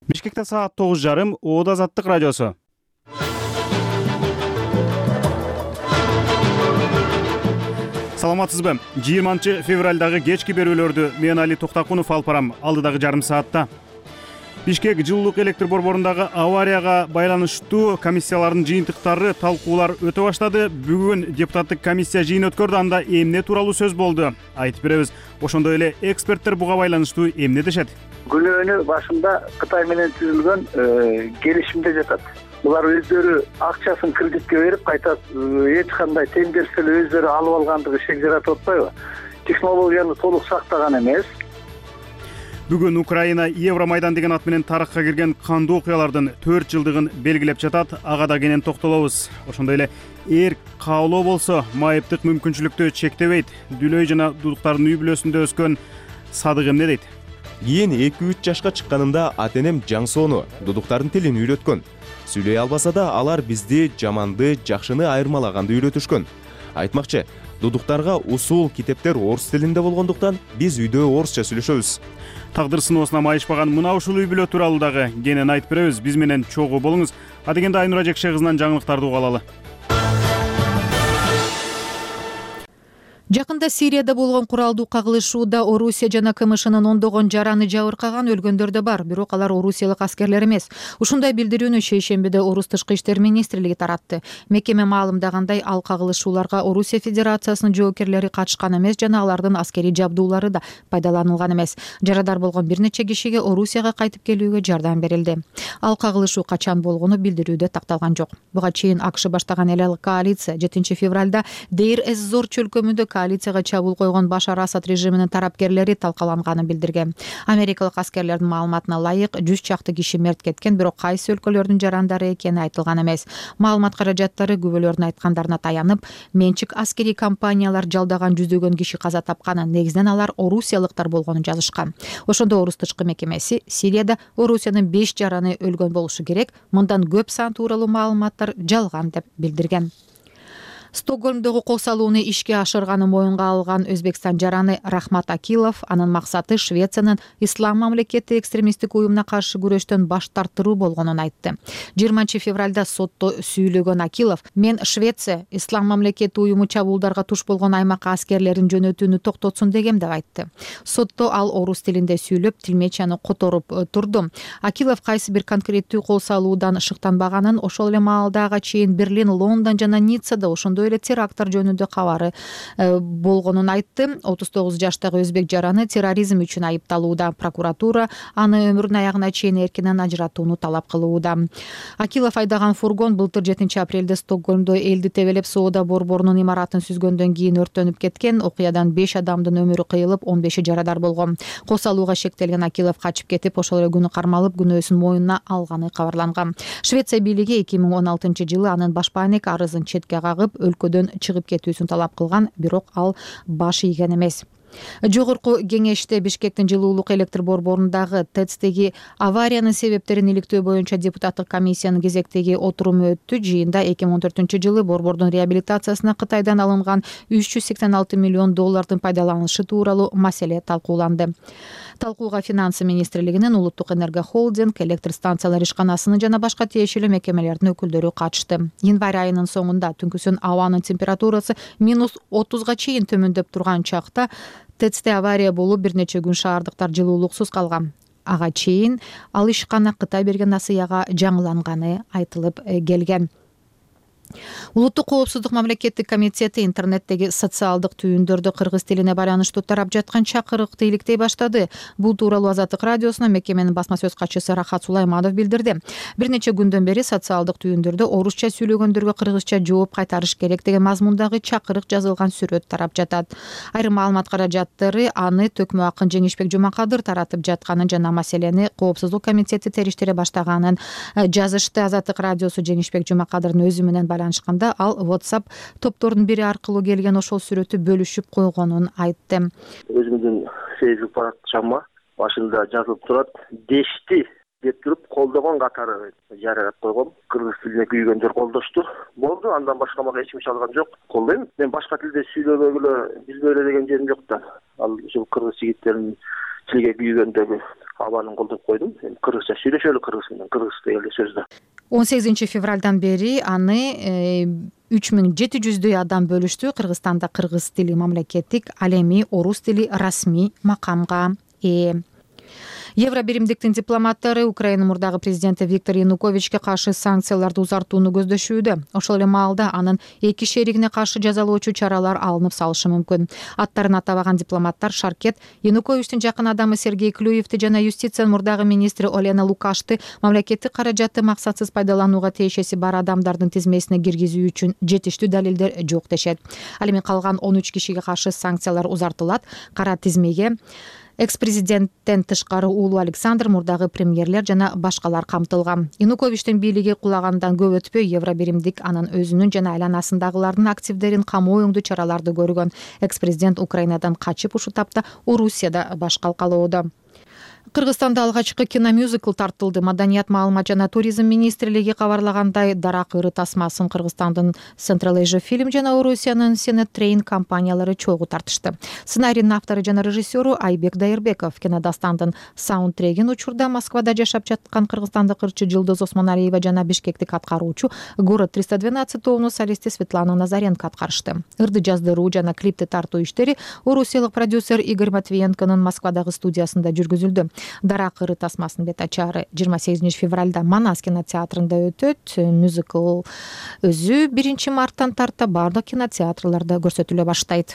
Бишкекте саат 9:30 Оода Азаттык радиосу. Саламатсызбы? 20-февралдагы кечки берүүлөрдү мен Али Токтакунов алып барам. Алдыдагы жарым саатта Бишкек жылуулук электр борборундагы аварияга байланыштуу комиссиялардын жыйынтыктары, талкуулар өтө баштады. Бүгүн депутаттык комиссия жыйын өткөрдү, анда эмне тууралуу сөз болду? Айтып беребиз. Ошондой эле эксперттер буга байланыштуу эмне дешет? Күнөөнү башында Кытай менен түзүлгөн келишимде жатат. Булар өздөрү акчасын кредитке берип, кайта эч кандай тендерсиз өздөрү алып алгандыгы шек жаратып атпайбы? Технологияны толук сактаган эмес. Бүгүн Украина Евромайдан деген ат менен тарыхка кирген кандуу окуялардын 4 жылдыгын белгилеп жатат. Ага да кенен токтолобуз. Ошондой эле эрк каалоо болсо майыптык мүмкүнчүлүктү чектебейт. Дүлөй жана дудуктардын үй бүлөсүндө өскөн Садык эмне дейт? Кийин 2-3 жашка чыкканымда ата-энем жаңсоону, дудуктардын тилин үйрөткөн. Сүйлөй албаса да алар бизди жаманды, жакшыны айырмалаганды үйрөтүшкөн. Айтмакчы, дудуктарга усул китептер орус тилинде болгондуктан биз үйдө орусча сүйлөшөбүз. Тагдыр сыноосуна майышпаган мына ушул үй бүлө тууралуу дагы кенен айтып беребиз. Биз менен чогуу болуңуз. Адегенде Айнура Жекше кызынан жаңылыктарды угалалы. Жакында Сирияда болгон куралдуу кагылышууда Орусия жана КМШнын ондогон жараны жабыркаган, өлгөндөр да бар, бирок алар орусиялык аскерлер эмес. Ушундай билдирүүнү шейшембиде Орус тышкы иштер министрлиги таратты. Мекеме маалымдагандай, ал кагылышууларга Орусия Федерациясынын жоокерлери катышкан эмес жана алардын аскерий жабдуулары да пайдаланылган эмес. Жарадар болгон бир нече кишиге Орусияга кайтып келүүгө жардам берилди. Ал кагылышуу качан болгону билдирүүдө такталган жок. Буга чейин АКШ баштаган эл коалиция 7-февралда Дейр-эз-Зор чөлкөмүндө коалицияга чабуул койгон Башар Асад режиминин тарапкерлери талкаланганын билдирген. Америкалык аскерлердин маалыматына ылайык 100 чакты киши мерт кеткен, бирок кайсы өлкөлөрдүн жарандары экени айтылган эмес. Маалымат каражаттары күбөлөрдүн айткандарына таянып, менчик аскерий компаниялар жалдаган жүздөгөн киши каза тапканын, негизинен алар орусиялыктар болгонун жазышкан. Ошондо Орус тышкы мекемеси Сирияда Орусиянын 5 жараны өлгөн болушу керек, мындан көп сан тууралуу маалыматтар жалган деп билдирген. Стокгольмдогу кол салууну ишке ашырганы моюнга алган Өзбекстан жараны Рахмат Акилов анын максаты Швециянын Ислам мамлекети экстремисттик уюмуна каршы күрөштөн баш тартыруу болгонун айтты. 20-февралда сотто сүйлөгөн Акилов: "Мен Швеция Ислам мамлекети уюму чабуулдарга туш болгон аймакка аскерлерин жөнөтүүнү токтотсун дегем" деп айтты. Сотто ал орус тилинде сүйлөп, тилмечаны которуп турду. Акилов кайсы бир конкреттүү кол салуудан шыктанбаганын, ошол эле маалдага чейин Берлин, Лондон жана Ниццада ошондой эле теракттар жөнүндө кабары болгонун айтты. 39 жаштагы өзбек жараны терроризм үчүн айыпталууда. Прокуратура аны өмүрүнүн аягына чейин эркинен ажыратууну талап кылууда. Акилов айдаган фургон былтыр 7-апрелде Стокгольмдо элди тебелеп соода борборунун имаратын сүзгөндөн кийин өрттөнүп кеткен. Окуядан 5 адамдын өмүрү кыйылып, 15 жарадар болгон. Кол салууга шектелген Акилов качып кетип, ошол эле күнү кармалып, күнөөсүн мойнуна алганы кабарланган. Швеция бийлиги 2016-жылы анын башпаанек арызын четке кагып, өлкөдөн чыгып кетүүсүн талап кылган, бирок ал баш ийген эмес. Жогорку кеңеште Бишкектин жылуулук электр борборундагы ТЭЦтеги авариянын себептерин иликтөө боюнча депутаттык комиссиянын кезектеги отуруму өттү. Жыйында 2014-жылы борбордун реабилитациясына Кытайдан алынган 386 миллион доллардын пайдаланышы тууралуу маселе талкууланды. Талкууга Финансы министрлигинин, Улуттук энерго холдинг, электр станциялар ишканасынын жана башка тиешелүү мекемелердин өкүлдөрү катышты. Январь айынын соңунда түнкүсүн абанын температурасы -30га чейин төмөндөп турган чакта ТЭЦте авария болуп, бир нече күн шаардыктар жылуулуксуз калган. Ага чейин ал ишкана Кытай берген насыяга жаңыланганы айтылып келген. Улуттук коопсуздук мамлекеттик комитети интернеттеги социалдык түйүндөрдө кыргыз тилине байланыштуу тарап жаткан чакырыкты иликтей баштады. Бул тууралуу Азаттык радиосуна мекеменин басма сөз катчысы Рахат Сулайманов билдирди. Бир нече күндөн бери социалдык түйүндөрдө орусча сүйлөгөндөргө кыргызча жооп кайтарыш керек деген мазмундагы чакырык жазылган сүрөт тарап жатат. Айрым маалымат каражаттары аны Төкмө акын Жеңишбек Жумакадыр таратып жатканын жана маселени коопсуздук комитети териштире баштаганын жазышты. Азаттык радиосу Жеңишбек Жумакадырдын өзү менен байланышканда ал WhatsApp топтордун бири аркылуу келген ошол сүрөттү бөлүшүп койгонун айтты. Өзүмдүн Facebook парақшама башында жазылып турат: "Дешти" деп туруп колдогон катары жарыяп койгом. Кыргыз тилине күйгөндөр колдошту. Болду, андан башка мага эч ким чалган жок. Колдойм. Мен башка тилде сүйлөбөгүлө, билбей эле деген жерим жок да. Ал ушул кыргыз жигиттеринин тилге күйгөндөгү абалын колдоп койдум. Эми кыргызча сүйлөшөлү, кыргыз менен, кыргыз тилинде сөз да. 18 февралдан бери аны 3700 адам бөлүштү. Кыргызстанда кыргыз тили мамлекеттик, ал эми орус тили расмий макамга ээ. Евро биримдиктин дипломаттары Украина мурдагы президенти Виктор Януковичке каршы санкцияларды узартууну көздөшүүдө. Ошол эле маалда анын эки шеригине каршы жазалоочу чаралар алынып салышы мүмкүн. Аттарын атабаган дипломаттар Шаркет Януковичтин жакын адамы Сергей Клюевди жана юстициянын мурдагы министри Олена Лукашты мамлекеттик каражатты максатсыз пайдаланууга тиешеси бар адамдардын тизмесине киргизүү үчүн жетиштүү далилдер жок дешет. Ал эми калган 13 кишиге каршы санкциялар узартылат. Кара тизмеге экс-президенттен тышкары уулу Александр, мурдагы премьерлер жана башкалар камтылган. Януковичтин бийлиги кулагандан көп өтпөй Евро биримдик анын өзүнүн жана айланасындагылардын активдерин камоо оңдуу чараларды көргөн. Экс-президент Украинадан качып ушул тапта Орусияда баш калкалоодо. Кыргызстанда алгачкы киномюзикл тартылды. Маданият, маалымат жана туризм министрлиги кабарлагандай, Дарак ыры тасмасын Кыргызстандын Central Asia Film жана Орусиянын Senet Train компаниялары чогуу тартышты. Сценарийдин автору жана режиссеру Айбек Дайырбеков, кинодастандын саундтрегин учурда Москвада жашап жаткан кыргызстандык ырчы Жылдыз Осмоналиева жана бишкектик аткаруучу Город 312 тобунун солисти Светлана Назаренко аткарышты. Ырды жаздыруу жана клипти тартуу иштери орусиялык продюсер Игорь Матвиенконун Москвадагы студиясында жүргүзүлдү. Дарак ыры тасмасынын бет ачары 28 февралда Манас кинотеатрында өтөт. Мюзикл өзү 1 марттан тарта бардык кинотеатрларда көрсөтүлө баштайт.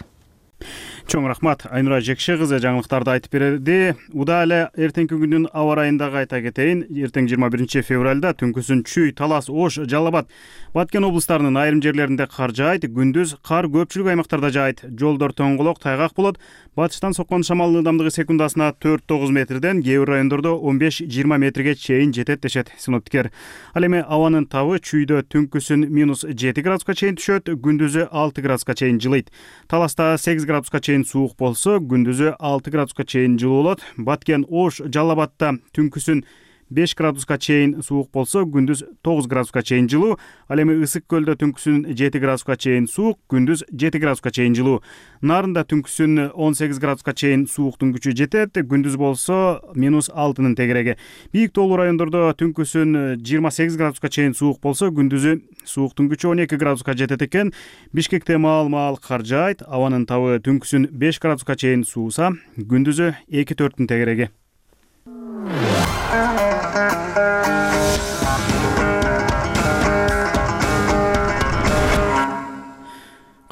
Чоң рахмат. Айнура Жекше кызы жаңылыктарды айтып берди. Уда эле эртеңки күндүн аба ырайын дагы айта кетейин. Эртең 21 февралда түнкүсүн Чүй, Талас, Ош, Жалал Абад, Баткен облустарынын айрым жерлеринде кар жаайт. Күндүз кар көпчүлүк аймактарда жаайт. Жолдор тоңголок, тайгак болот. Батыштан соккон шамалдын ылдамдыгы секундасына 4-9 метрден, кээ бир райондордо 15-20 метрге чейин жетет дешет синоптиктер. Ал эми абанын табы Чүйдө түнкүсүн -7 градуска чейин түшөт, күндүзү 6 градуска чейин жылыйт. Таласта 8 градуска чейин суук болсо, күндүзү 6 градуска чейин жылуу болот. Баткен, Ош, Жалал Абадта түнкүсүн 5 градуска чейин суук болсо, күндүз 9 градуска чейин жылуу. Ал эми Ысык көлдө түнкүсүн 7 градуска чейин суук, күндүз 7 градуска чейин жылуу. Нарында түнкүсүн 18 градуска чейин сууктун күчү жетет, күндүз болсо -6-нын тегереги. Бийик тоолуу райондордо түнкүсүн 28 градуска чейин суук болсо, күндүзү сууктун күчү 12 градуска жетет экен. Бишкекте маал кар жаайт, абанын табы түнкүсүн 5 градуска чейин сууса, күндүзү 2-4-түн тегереги.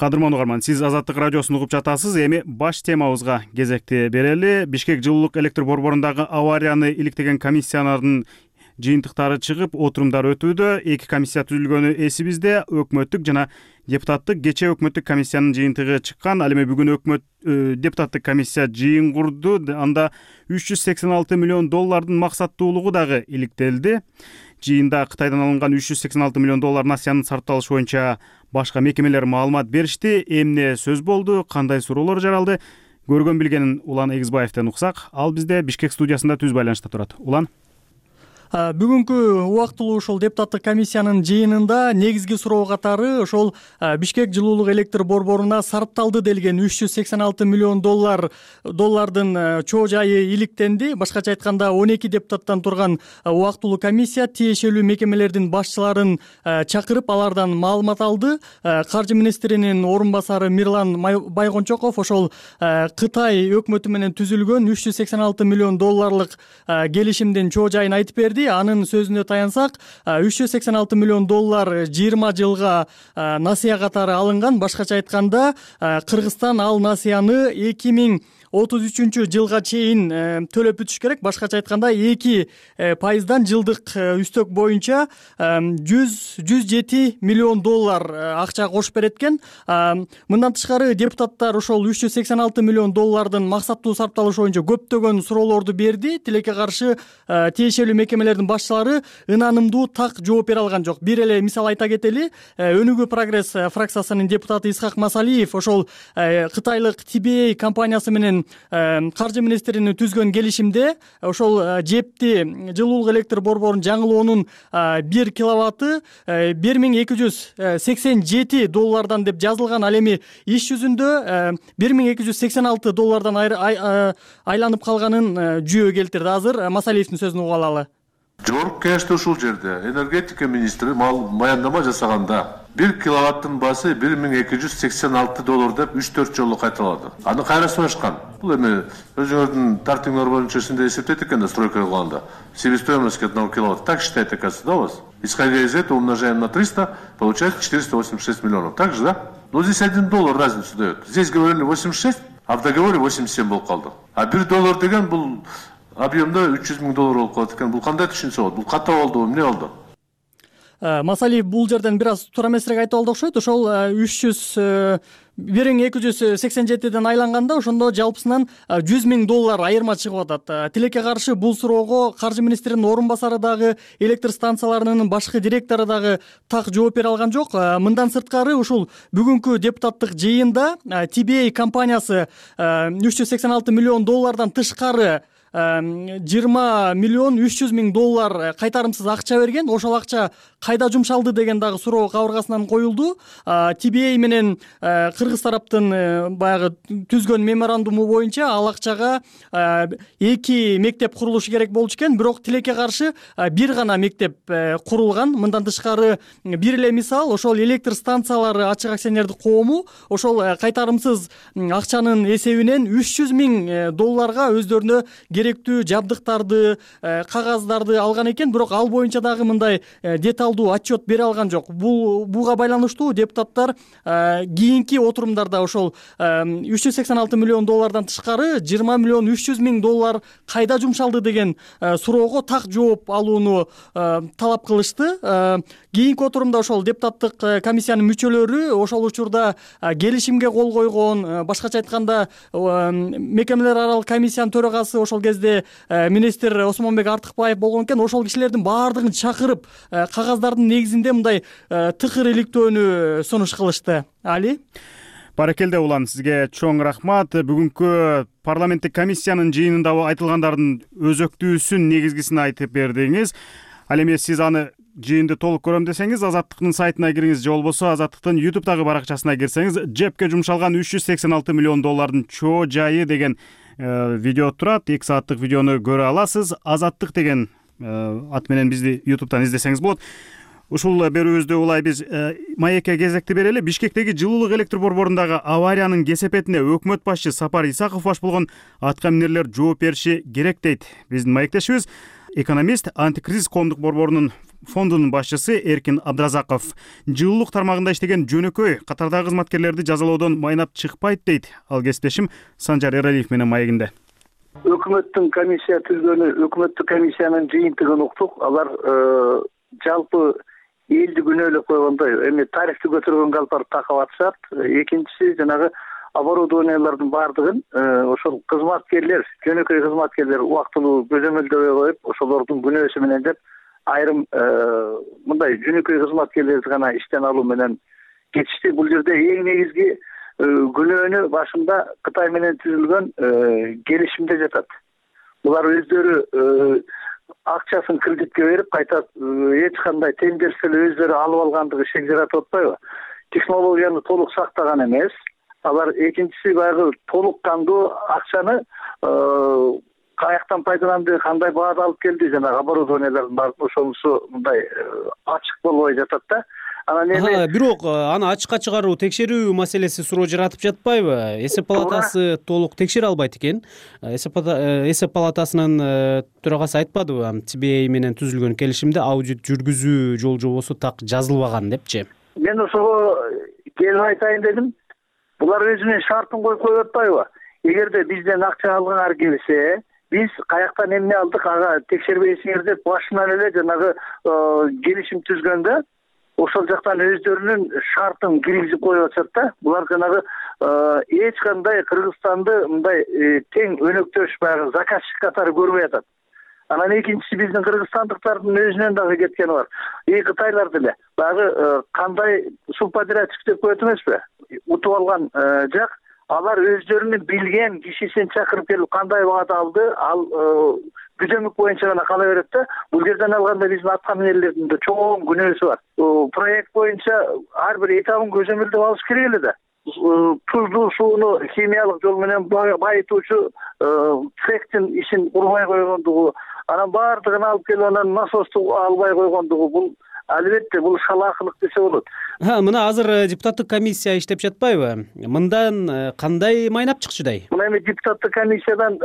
Кадырман угарман, сиз Азаттык радиосун угуп жатасыз. Эми баш темабызга кезекти берели. Бишкек жылуулук электр борборундагы аварияны иликтеген комиссиялардын жыйынтыктары чыгып, отурумдар өтүүдө. 2 комиссия түзүлгөнү эсибизде. Өкмөттүк жана депутаттык кечээ өкмөттүк комиссиянын жыйынтыгы чыккан. Ал эми бүгүн депутаттык комиссия жыйын курду. Анда 386 миллион доллардын максаттуулугу дагы иликтелди. Жыйында Кытайдан алынган 386 миллион доллар насыянын сарпталышы боюнча башка мекемелер маалымат беришти. Эмне сөз болду, кандай суроолор жаралды? Көргөн билгенин Улан Эгизбаевден уксак. Ал бизде Бишкек студиясында түз байланышта турат. Улан. Бүгүнкү убактылуу ошол депутаттык комиссиянын жыйынында негизги суроо катары ошол Бишкек жылуулук электр борборуна сарпталды делген 386 миллион доллардын чоо жайы иликтенди. Башкача айтканда 12 депутаттан турган убактылуу комиссия тиешелүү мекемелердин башчыларын чакырып, алардан маалымат алды. Каржы министринин орун басары Мирлан Байгончоков ошол Кытай өкмөтү менен түзүлгөн 386 миллион долларлык келишимдин чоо жайын айтып берди. Анын сөзүнө таянсак, 386 миллион доллар 20 жылга насыя катары алынган. Башкача айтканда, Кыргызстан ал насыяны 2033 жылга чейин төлөп бүтүш керек. Башкача айтканда 2% жылдык үстөк боюнча 107 миллион доллар акча кошуп берет экен. Мындан тышкары депутаттар ошол 386 миллион доллардын максаттуу сарпталышы боюнча көптөгөн суроолорду берди. Тилекке каршы тиешелүү мекемелердин башчылары ынанымдуу так жооп бере алган жок. Бир эле мисал айта кетели. Өнүгүү прогресс фракциясынын депутаты Исхак Масалиев ошол Кытайлык TBA компаниясы менен менен каржы министринин түзгөн келишимде ошол жепти жылуулук электр борборунун жаңылоонун 1 киловатты $1287 деп жазылган. Ал эми иш жүзүндө $1286 айланып калганын жүйө келтирди. Азыр Масалиевдин сөзүн угуп алалы. Жогорку кеңеште ушул жерде энергетика министри баяндама жасаганда 1 киловаттын баасы $1286 деп 3-4 жолу кайталады. Аны кайра сунашкан. Бул эми өзүңөрдүн тартиңер боюнча синде эсептейт экен да, стройка кылганда. Себестоимость 1 киловатт. Так считает, оказывается, да, у вас? Исходя из этого умножаем на 300, получается 486 миллионов. Так же, да? Но здесь $1 разницу дает. Здесь говорили 86, а в договоре 87 болуп калды. А $1 деген бул объемда $300 000 болуп калат экен. Бул кандай түшүнсө болот? Бул ката болдубу, эмне болду? Масалиев бул жерден бир аз туура эмесирээк айтып алды окшойт. Ошол 1287ден айланганда ошондо жалпысынан $100 000 айырма чыгып атат. Тилекке каршы бул суроого каржы министринин орун басары дагы, электр станцияларынын башкы директору дагы так жооп бере алган жок. Мындан сырткары ушул бүгүнкү депутаттык жыйында TBA компаниясы $386 миллион тышкары $20,300,000 кайтарымсыз акча берген. Ошол акча кайда жумшалды деген дагы суроо кабыргасынан коюлду. TBA менен кыргыз тараптын баягы түзгөн меморандуму боюнча ал акчага 2 мектеп курулушу керек болчу экен, бирок тилекке каршы бир гана мектеп курулган. Мындан тышкары бир эле мисал, ошол электр станциялары ачык акционердик коому ошол кайтарымсыз акчанын эсебинен $300 000 өздөрүнө керектүү жабдыктарды, кагаздарды алган экен, бирок ал боюнча дагы мындай деталдуу отчет бере алган жок. Буга байланыштуу депутаттар кийинки отурумдарда ошол $386 миллион тышкары $20,300,000 кайда жумшалды деген суроого так жооп алууну талап кылышты. Кийинки отурумда ошол депутаттык комиссиянын мүчөлөрү ошол учурда келишимге кол койгон, башкача айтканда мекемелер аралык комиссиянын төрагасы ошол кезде министр Осмонбек Артыкбаев болгон экен. Ошол кишилердин баардыгын чакырып кагаздардын негизинде мындай тыкыр иликтөөнү сунуш кылышты. Али? Баракелде улан, сизге чоң рахмат. Бүгүнкү парламенттик комиссиянын жыйынында айтылгандардын өзөктүүсүн, негизгисин айтып бердиңиз. Ал эми сиз аны жыйынды толук көрөм десеңиз, Азаттыктын сайтына кириңиз же болбосо Азаттыктын YouTube'дагы баракчасына кирсеңиз, жепке жумшалган $386 миллион чоо жайы деген видео турат. 2 сааттык видеону көрө аласыз. Азаттык деген ат менен бизди YouTube'дан издесеңиз болот. Ушул берүүбүздө улай биз маекке кезекти берели. Бишкектеги жылуулук электр борборундагы авариянын кесепетине өкмөт башчы Сапар Исаков баш болгон аткаминерлер жооп бериши керек дейт биздин маектешибиз. Экономист, антикризис коомдук борборунун фондунун башчысы Эркин Абдразаков. Жылуулук тармагында иштеген жөнөкөй катардагы кызматкерлерди жазалоодон майнап чыкпайт дейт. Ал кесиптешим Санжар Эралиев менен маегинде. Өкмөттүн комиссия түзгөнү, өкмөттүк комиссиянын жыйынтыгын уктук. Алар жалпы элди күнөөлөп койгондой, эми тарифти көтөргөнгө алып барып такап атышат. Экинчиси жанагы оборудованиялардын баардыгын ошол кызматкерлер, жөнөкөй кызматкерлер убактылуу көзөмөлдөбөй коюп, ошолордун күнөөсү менен деп айрым мындай жөнөкөй кызматкерлерди гана иштен алуу менен кетишти. Бул жерде эң негизги күнөөнү башында Кытай менен түзүлгөн келишимде жатат. Булар өздөрү акчасын кредитке берип, кайта эч кандай тендерсиз өздөрү алып алгандыгы шек жаратып атпайбы? Технологияны толук сактаган эмес. Алар экинчиси баягы толук кандуу акчаны каяктан пайдаланды, кандай баада алып келди, жана оборудованиялардын баары ошонусу мындай ачык болбой жатат да. Анан эми бирок аны ачыкка чыгаруу, текшерүү маселеси суроо жаратып жатпайбы? Эсеп палатасы толук текшере албайт экен. Эсеп палатасынын төрагасы айтпадыбы? TBA менен түзүлгөн келишимде аудит жүргүзүү жол жобосу так жазылбаган депчи. Мен ошого келип айтайын дедим. Булар өзүнүн шартын коюп атпайбы? Эгерде бизден акча алгандар келсе, биз каяктан эмне алдык, ага текшербейсиңер деп башынан эле жанагы келишим түзгөндө ошол жактан өздөрүнүн шартын киргизип коюп атышат да. Булар жанагы эч кандай Кыргызстанды мындай тең өнөктөш баягы заказчик катары көрбөй атат. Анан экинчиси биздин кыргызстандыктардын өзүнөн дагы кеткени бар. Кытайлар деле баягы кандай субподрядчик деп коет эмеспи? Утуп алган жак алар өздөрүнүн билген кишисин чакырып келип кандай убакыт алды, ал күзөмүк боюнча гана кала берет да. Бул жерден алганда биздин атка минерлердин да чоң күнөөсү бар. Проект боюнча ар бир этабын көзөмөлдөп алыш керек эле да. Тузду сууну химиялык жол менен байытуучу цехтин ишин курбай койгондугу, анан баардыгын алып келип анан насосту албай койгондугу, бул албетте бул шалаакылык десе болот. Мына азыр депутаттык комиссия иштеп жатпайбы? Мындан кандай майнап чыкчудай? Мына эми депутаттык комиссиядан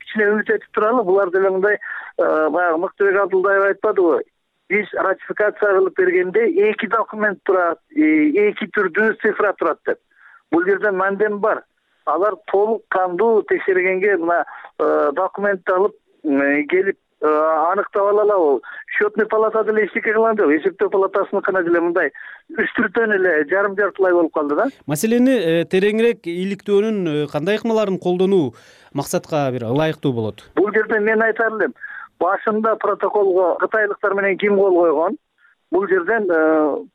кичине үмүт этип туралы. Булар деле мындай баягы Мыктыбек Абдулдаев айтпадыбы? Биз ратификация кылып бергенде 2 документ турат, 2 түрдүү цифра турат деп. Бул жерде мандем бар. Алар толук кандуу текшергенге мына документти алып келип аныктап алалы. Счетный палата деле эчтеке кылган жок. Эсептөө палатасыныкына деле мындай үстүртөн эле жарым-жартылай болуп калды да. Маселени тереңирээк иликтөөнүн кандай ыкмаларын колдонуу максатка бир ылайыктуу болот? Бул жерде мен айтар элем, башында протоколго кытайлыктар менен ким кол койгон? Бул жерден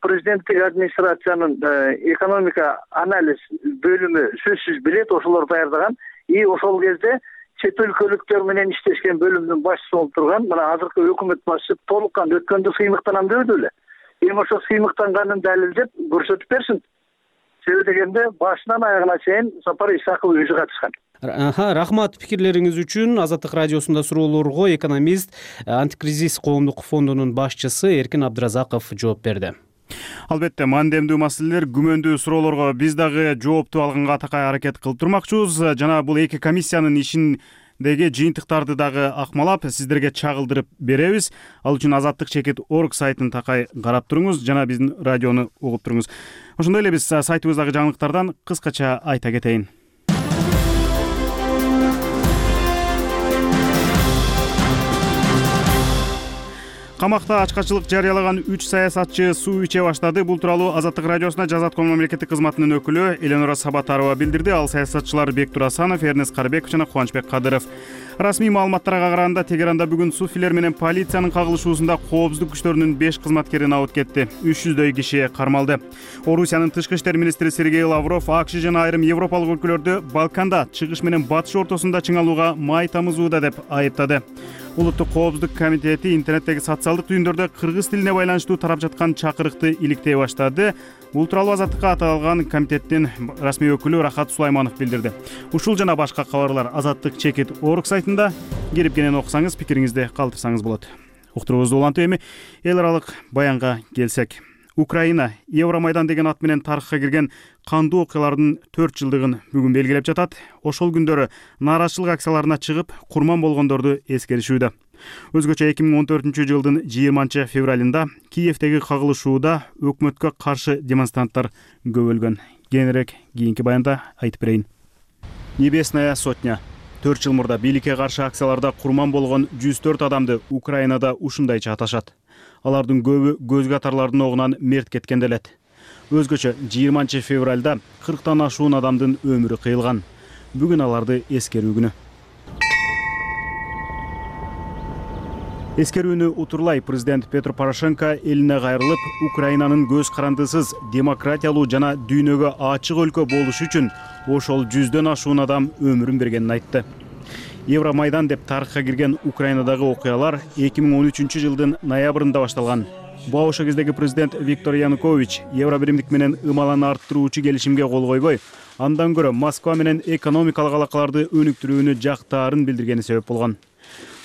президенттик администрациянын экономика анализ бөлүмү сөзсүз билет, ошолор даярдаган. И ошол кезде чет өлкөлүктөр менен иштешкен бөлүмдүн башчысы болуп турган мына азыркы өкмөт башчысы толук кандуу өткөндө сыймыктанам дебеди беле. Эми ошо сыймыктанганын далилдеп көрсөтүп берсин. Себеби дегенде башынан аягына чейин Сапар Исаков өзү катышкан. Рахмат пикирлериңиз үчүн. Азаттык радиосунда суроолорго экономист, антикризис коомдук фондунун башчысы Эркин Абдыразаков жооп берди. Албетте, мандемдүү маселелер, күмөндүү суроолорго биз дагы жоопту алганга такай аракет кылып турмакчыбыз. Жана бул эки комиссиянын ишиндеги жыйынтыктарды дагы акмалап сиздерге чагылдырып беребиз. Ал үчүн azattik.org сайтын такай карап туруңуз жана биздин радиону угуп туруңуз. Ошондой эле биз сайтыбыздагы жаңылыктардан кыскача айта кетейин. Камакта ачкачылык жарыялаган 3 саясатчы суу иче баштады. Бул тууралуу Азаттык радиосуна Жазатком мамлекеттик кызматынын өкүлү Эленора Сабатарова билдирди. Ал саясатчылар Бектур Асанов, Эрнест Карыбеков жана Кубанычбек Кадыров. Расмий маалыматтарга караганда Тегеранда бүгүн суфилер менен полициянын кагылышуусунда коопсуздук күчтөрүнүн 5 кызматкерин абыт кетти. 300дөй киши кармалды. Орусиянын тышкы иштер министри Сергей Лавров АКШ жана айрым европалык өлкөлөрдү Балканда чыгыш менен батыш ортосунда чыңалууга май тамызууда деп айыптады. Улуттук коопсуздук комитети интернеттеги социалдык түйүндөрдө кыргыз тилине байланыштуу тарап жаткан чакырыкты иликтей баштады. Бул тууралуу Азаттыкка аталган комитеттин расмий өкүлү Рахат Сулайманов билдирди. Ушул жана башка кабарлар azattik.org сайтында. Кирип кенен окусаңыз, пикириңизди калтырсаңыз болот. Уктуруубузду улантып эми эл аралык баянга келсек. Украина Евромайдан деген ат менен тарыхка кирген кандуу окуялардын 4 жылдыгын бүгүн белгилеп жатат. Ошол күндөрү нааразычылык акцияларына чыгып, курман болгондорду эскеришүүдө. Өзгөчө 2014 жылдын 20 февралында Киевдеги кагылышууда өкмөткө каршы демонстранттар көбөлгөн. Кененирээк кийинки баянда айтып берейин. Небесная сотня. 4 жыл мурда бийликке каршы акцияларда курман болгон 104 адамды Украинада ушундайча аташат. Алардын көбү көз катарлардын огунан мерт кеткен делет. Өзгөчө 20 февралда 40тан ашуун адамдын өмүрү кыйылган. Бүгүн аларды эскерүү күнү. Эскерүүнү утурлай президент Петр Порошенко элине кайрылып, Украинанын көз карандысыз, демократиялуу жана дүйнөгө ачык өлкө болушу үчүн ошол 100дөн ашуун адам өмүрүн бергенин айтты. Евромайдан деп тарыхка кирген Украинадагы окуялар 2013 жылдын ноябрында башталган. Ошол кездеги президент Виктор Янукович Евробиримдик менен ымаланы арттыруучу келишимге кол койбой, андан көрө Москва менен экономикалык алакаларды өнүктүрүүнү жактаарын билдиргени себеп болгон.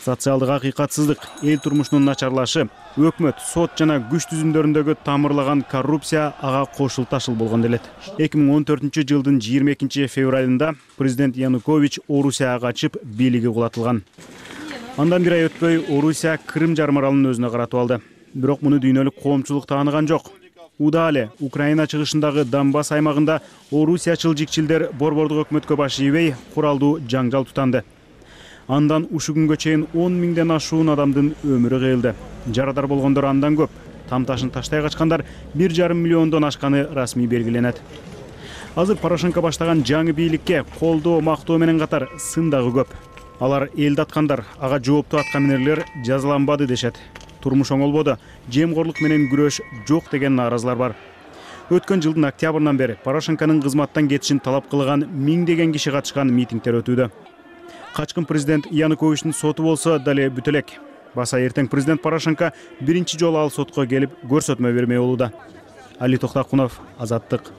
Социалдык акыйкатсыздык, эл турмушунун начарлашы, өкмөт, сот жана күч түзүмдөрүндөгү тамырлаган коррупция ага кошул ташыл болгон делет. 2014 жылдын 22 февралында президент Янукович Орусияга качып, бийлиги кулатылган. Андан бир ай өтпөй Орусия Крым жарым аралын өзүнө каратып алды. Бирок муну дүйнөлүк коомчулук тааныган жок. Удале Украина чыгышындагы Донбасс аймагында орусиячыл жикчилдер борбордук өкмөткө баш ийбей, куралдуу жаңжал тутанды. Андан ушу күнгө чейин 10 миңден ашуун адамдын өмүрү кыйылды. Жарадар болгондор андан көп. Там ташын таштай качкандар 1,5 миллиондон ашканы расмий белгиленет. Азыр Порошенко баштаган жаңы бийликке колдоо, мактоо менен катар сын дагы көп. Алар элди аткандар, ага жооптуу атка минерлер жазаланбады дешет. Турмуш оңолбоду, жемкорлук менен күрөш жок деген нааразылар бар. Өткөн жылдын октябрынан бери Порошенконун кызматтан кетишин талап кылган миңдеген киши катышкан митингдер өтүүдө. Качкын президент Януковичтин соту болсо дале бүтө элек. Баса эртең президент Порошенко биринчи жолу ал сотко келип көрсөтмө бермей болууда. Али Токтакунов, Азаттык.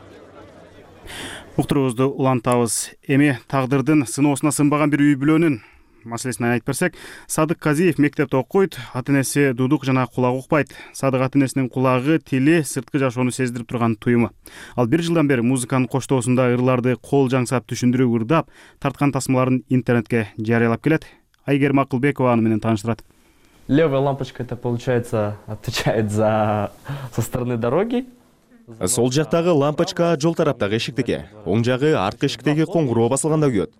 Уктуруубузду улантабыз. Эми тагдырдын сыноосуна сынбаган бир үй бүлөнүн маселесин айтып берсек, Садык Казиев мектепте окуйт, ата-энеси дудук жана кулак укпайт. Садык ата-энесинин кулагы, тили, сырткы жашоону сездирип турган туюму. Ал 1 жылдан бери музыканын коштоосунда ырларды кол жаңсап түшүндүрүп ырдап, тарткан тасмаларын интернетке жарыялап келет. Айгерим Акылбекова аны менен тааныштырат. Левая лампочка, это получается отвечает со стороны дороги. Сол жактагы лампочка жол тараптагы эшиктеги, оң жагы арткы эшиктеги коңгуроо басылганда күйөт.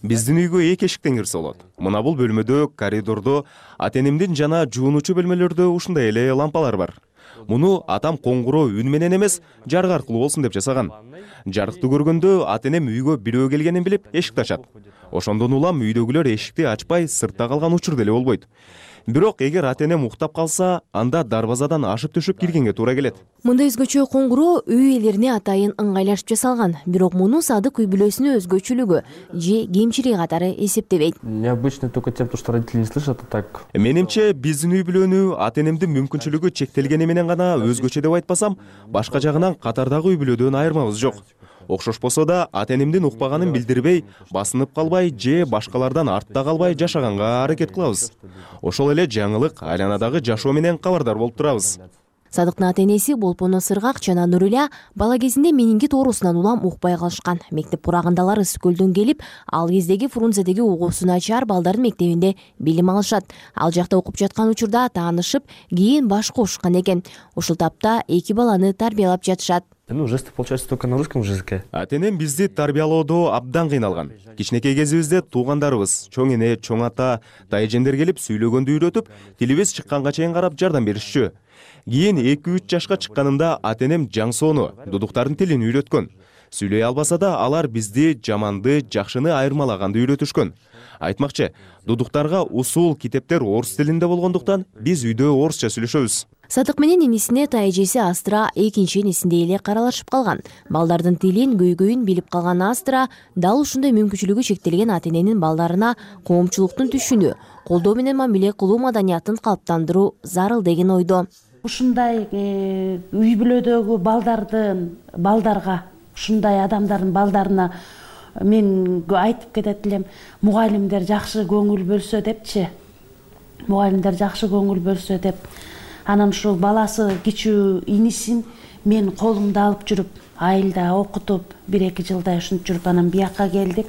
Биздин үйгө 2 эшиктен кирсе болот. Мына бул бөлмөдө, коридордо, ата-энемдин жана жуунуучу бөлмөлөрдө ушундай эле лампалар бар. Муну атам коңгуроо үн менен эмес, жарык аркылуу болсун деп жасаган. Жарыкты көргөндө ата-энем үйгө бирөө келгенин билип эшикти ачат. Ошондон улам үйдөгүлөр эшикти ачпай сыртта калган учур деле болбойт. Бирок эгер ата-энем уктап калса, анда дарбазадан ашып төшүп киргенге туура келет. Мындай өзгөчө коңгуроо үй ээлерине атайын ыңгайлашып жасалган. Бирок муну Садык үй бүлөсүнүн өзгөчөлүгү же кемчилиги катары эсептебейт. Необычно только тем, что родители не слышат, а так. Менимче биздин үй бүлөнү ата-энемдин мүмкүнчүлүгү чектелгени менен гана өзгөчө деп айтпасам, башка жагынан катардагы үй бүлөдөн айырмабыз жок. Окшошпосо да ата-энемдин укпаганын билдирбей, басынып калбай же башкалардан артта калбай жашаганга аракет кылабыз. Ошол эле жаңылык, айланадагы жашоо менен кабардар болуп турабыз. Садыктын ата-энеси Болпоно Сыргак жана Нуриля бала кезинде менингит оорусунан улам укпай калышкан. Мектеп курагындалар Ысык-Көлдөн келип, ал кездеги Фрунзедеги угуусу начар балдардын мектебинде билим алышат. Ал жакта окуп жаткан учурда таанышып, кийин баш кошушкан экен. Ушул тапта 2 баланы тарбиялап жатышат. Жесты получается только на русском языке. Ата-энем бизди тарбиялоодо абдан кыйналган. Кичинекей кезибизде туугандарыбыз, чоң эне, чоң ата, дайжендер келип сүйлөгөндү үйрөтүп, тилибиз чыкканга чейин карап жардам беришчү. Кийин 2-3 жашка чыкканымда ата-энем жаңсоону, дудуктардын тилин үйрөткөн. Сүйлөй албаса да алар бизди жаманды, жакшыны айырмалаганды үйрөтүшкөн. Айтмакчы, дудуктарга усул китептер орус тилинде болгондуктан биз үйдө орусча сүйлөшөбүз. Садык менен инисине тайэжеси Астра экинчи энесиндей эле каралашып калган. Балдардын тилин, көйгөйүн билип калган Астра дал ушундай мүмкүнчүлүгү чектелген ата-эненин балдарына коомчулуктун түшүнүү, колдоо менен мамиле кылуу маданиятын калыптандыруу зарыл деген ойдо. Ушундай үй бүлөдөгү балдарга, ушундай адамдардын балдарына мен айтып кетет элем, мугалимдер жакшы көңүл бөлсө депчи. Мугалимдер жакшы көңүл бөлсө деп. Анан ушул баласы кичүү инисин мен колумда алып жүрүп, айылда окутуп, 1-2 жылдай ушинтип жүрүп анан биякка келдик.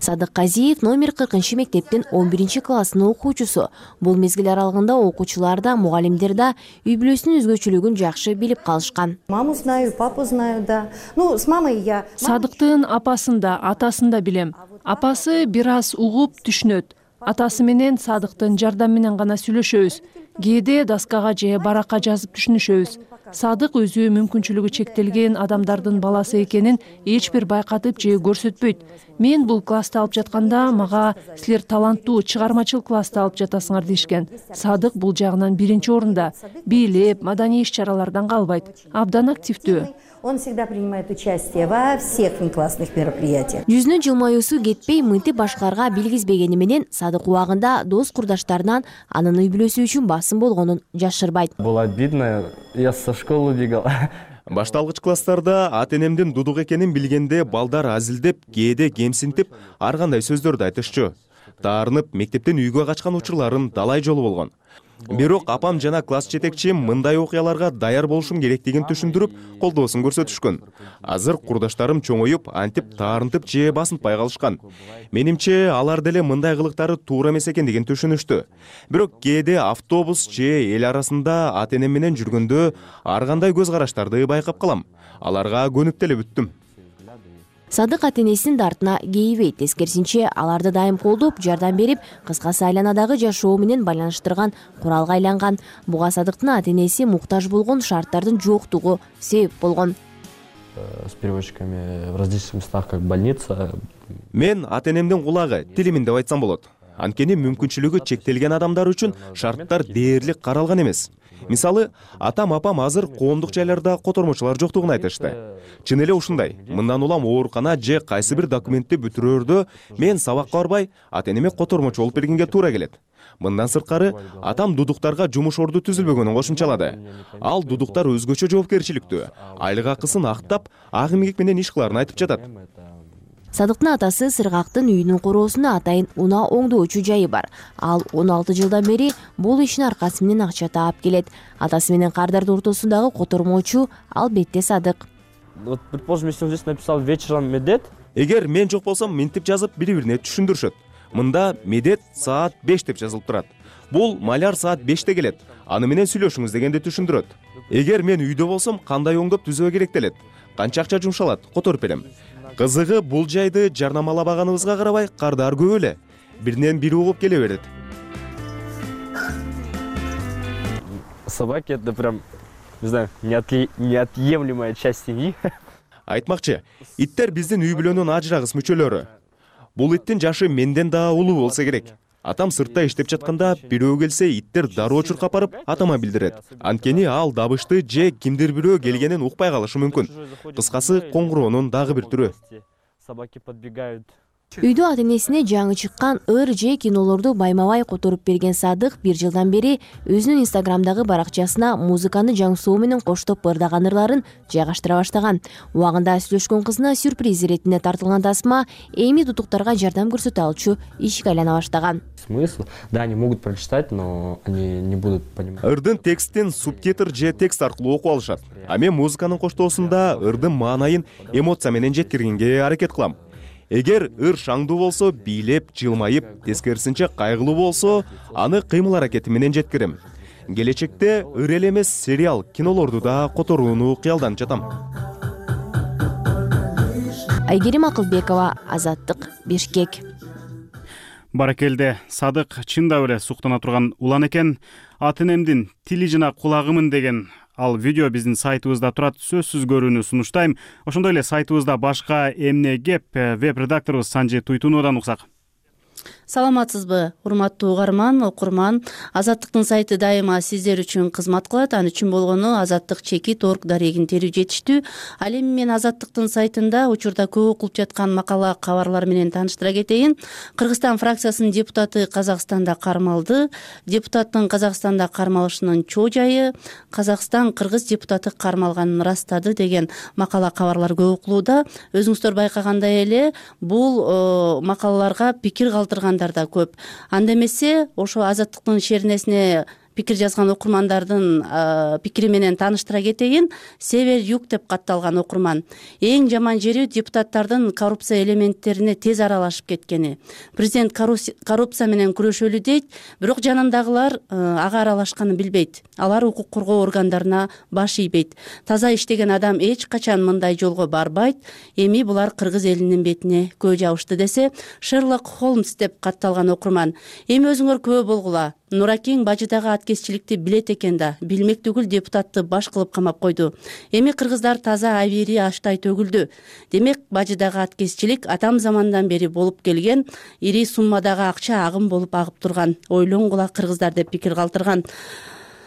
Садык Казиев номер 40 мектептин 11 классынын окуучусу. Бул мезгил аралыгында окуучулар да, мугалимдер да үй бүлөсүнүн өзгөчөлүгүн жакшы билип калышкан. Маму знаю, папу знаю, да. Ну, с мамой я. Садыктын апасын да, атасын да билем. Апасы бир аз угуп түшүнөт. Атасы менен Садыктын жардам менен гана сүйлөшөбүз. Кээде доскага же баракка жазып түшүнүшөбүз. Садык өзү мүмкүнчүлүгү чектелген адамдардын баласы экенин эч бир байкатып же көрсөтпөйт. Мен бул класста алып жатканда мага силер таланттуу, чыгармачыл класста алып жатасыңар дешкен. Садык бул жагынан 1-орунда. Бийлеп, маданий иш-чаралардан калбайт. Абдан активдүү. Он всегда принимает участие во всех классных мероприятиях. Жүзүнүн жылмаюусу кетпей, мынтип башкаларга билгизбегени менен Садык убагында дос курдаштарынан анын үй бүлөсү үчүн басым болгонун жашырбайт. Было обидно, я со школы убегал. Башталгыч класстарда ата-энемдин дудук экенин билгенде балдар азилдеп, кээде кемсинтип, ар кандай сөздөрдү айтышчу. Таарынып, мектептен үйгө качкан учурларым далай жолу болгон. Бирок апам жана класс жетекчим мындай окуяларга даяр болушум керектигин түшүндүрүп, колдоосун көрсөтүшкөн. Азыр курдаштарым чоңоюп, антип таарынтып же басынтпай калышкан. Менимче, алар деле мындай кылыктары туура эмес экендигин түшүнүштү. Бирок кээде автобус же эл арасында ата-энем менен жүргөндө ар кандай көз караштарды байкап калам. Аларга көнүп деле бүттүм. Садык ата-энесинин дартына кейбейт, тескерисинче аларды дайым колдоп, жардам берип, кыскасы айланадагы жашоо менен байланыштырган куралга айланган. Буга Садыктын ата-энеси муктаж болгон шарттардын жоктугу себеп болгон. С переводчиками в различных местах, как больница. Мен ата-энемдин кулагы, тилимин деп айтсам болот. Анткени мүмкүнчүлүгү чектелген адамдар үчүн шарттар дээрлик каралган эмес. Мисалы, атам апам азыр коомдук жайларда котормочулар жоктугун айтышты. Чын эле ушундай. Мындан улам оорукана же кайсы бир документти бүтүрөөрдө мен сабакка барбай, ата-энеме котормочу болуп бергенге туура келет. Мындан сырткары, атам дудуктарга жумуш орду түзүлбөгөнүн кошумчалады. Ал дудуктар өзгөчө жоопкерчиликтүү, айлык акысын актап, ак эмгек менен иш кылаарын айтып жатат. Садыктын атасы Сыргактын үйүнүн куроосуна атайын унаа оңдоочу жайы бар. Ал 16 жылдан бери бул ишин аркасы менен акча таап келет. Атасы менен кардардын ортосундагы котормочу албетте Садык. Вот, предположим, если он здесь написал вечером медет. Эгер мен жок болсом, минтип жазып, бири-бирине түшүндүрүшөт. Мында медет саат 5 деп жазылып турат. Бул маляр саат 5те келет. Аны менен сүйлөшүңүз дегенди түшүндүрөт. Эгер мен үйдө болсом, кандай оңдоп түзөө керектелет? Канча акча жумшалат? Которуп берем. Кызыгы, бул жайды жарнамалабаганыбызга карабай, кардар көп эле. Биринен бири угуп келе берет. Собаки — это прям, не знаю, неотъемлемая часть семьи. Айтмакчы, иттер биздин үй бүлөнүн ажырагыс мүчөлөрү. Бул иттин жашы менден да улуу болсо керек. Атам сыртта иштеп жатканда бирөө келсе, иттер дароо чуркап барып атама билдирет. Анткени ал дабышты же кимдир бирөө келгенин укпай калышы мүмкүн. Кыскасы, коңгуроонун дагы бир түрү. Собаки подбегают. Үйдө ата-энесине жаңы чыккан ыр же кинолорду байма-бай которуп берген Садык 1 жылдан бери өзүнүн Инстаграмдагы баракчасына музыканы Жаңсоо менен коштоп ырдаган ырларын жайгаштыра баштаган. Убагында сүйлөшкөн кызына сюрприз иретине тартылган тасма эми дутуктарга жардам көрсөтө алчу ишке айлана баштаган. Смысл? Да, они могут прочитать, но они не будут понимать. Ырдын текстин субтитр же текст аркылуу окуп алышат. А мен музыканын коштоосунда ырдын маанайын эмоция менен жеткиргенге аракет кылам. Эгер ыр шаңдуу болсо, бийлеп, жылмайып, тескерисинче кайгылуу болсо, аны кыймыл аракети менен жеткирем. Келечекте ыр эле эмес сериал, кинолорду да которууну кыялданып жатам. Айгерим Акылбекова, Азаттык, Бишкек. Баракелде, Садык чында эле суктана турган улан экен. Ата-энемдин тили жана кулагымын деген ал видео биздин сайтыбызда турат, сөзсүз көрүүнү сунуштайм. Ошондой эле сайтыбызда башка эмне кеп, веб-редакторубуз Санжи Туйтуновадан уксак. Саламатсызбы, урматтуу угарман, окурман. Азаттыктын сайты дайыма сиздер үчүн кызмат кылат. Аны үчүн болгону azattik.org дарегин терүү жетиштүү. Ал эми мен Азаттыктын сайтында учурда көп окулуп жаткан макала, кабарлар менен тааныштыра кетейин. Кыргызстан фракциясынын депутаты Казакстанда кармалды. Депутаттын Казакстанда кармалышынын чоо жайы, Казакстан кыргыз депутаты кармалганын ырастады деген макала, кабарлар көп окулууда. Өзүңүздөр байкагандай эле бул макалаларга пикир калтыргандар да көп. Анда эмесе ошо Азаттыктын шеринесине пикир жазган окурмандардын пикири менен тааныштыра кетейин. Север-юг деп катталган окурман. Эң жаман жери депутаттардын коррупция элементтерине тез аралашып кеткени. Президент коррупция менен күрөшөлү дейт, бирок жанындагылар ага аралашканын билбейт. Алар укук коргоо органдарына баш ийбейт. Таза иштеген адам эч качан мындай жолго барбайт. Эми булар кыргыз элинин бетине көө жабышты десе, Шерлок Холмс деп катталган окурман. Эми өзүңөр көө болгула. Нуракең бажыдагы аткезчиликти билет экен да, билмек түгүл депутатты баш кылып камап койду. Эми кыргыздар таза абийири аштай төгүлдү. Демек, бажыдагы аткезчилик атам замандан бери болуп келген, ири суммадагы акча агым болуп агып турган. Ойлонгула кыргыздар деп пикир калтырган.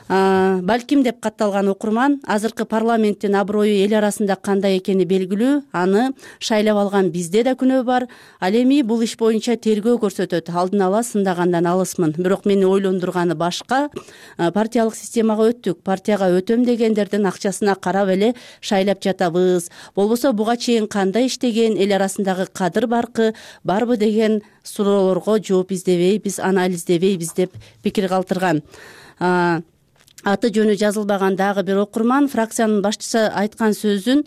Балким деп катталган окурман, азыркы парламенттин аброю эл арасында кандай экени белгилүү, аны шайлап алган бизде да күнөө бар. Ал эми бул иш боюнча тергөө көрсөтөт. Алдын ала сындагандан алысмын. Бирок мени ойлондурганы башка. Партиялык системага өттүк. Партияга өтөм дегендердин акчасына карап эле шайлап жатабыз. Болбосо буга чейин кандай иштеген, эл арасындагы кадыр барбы деген суроолорго жооп издебейбиз, анализдебейбиз деп пикир калтырган. Аты жөнү жазылбаган дагы бир окурман фракциянын башчысы айткан сөзүн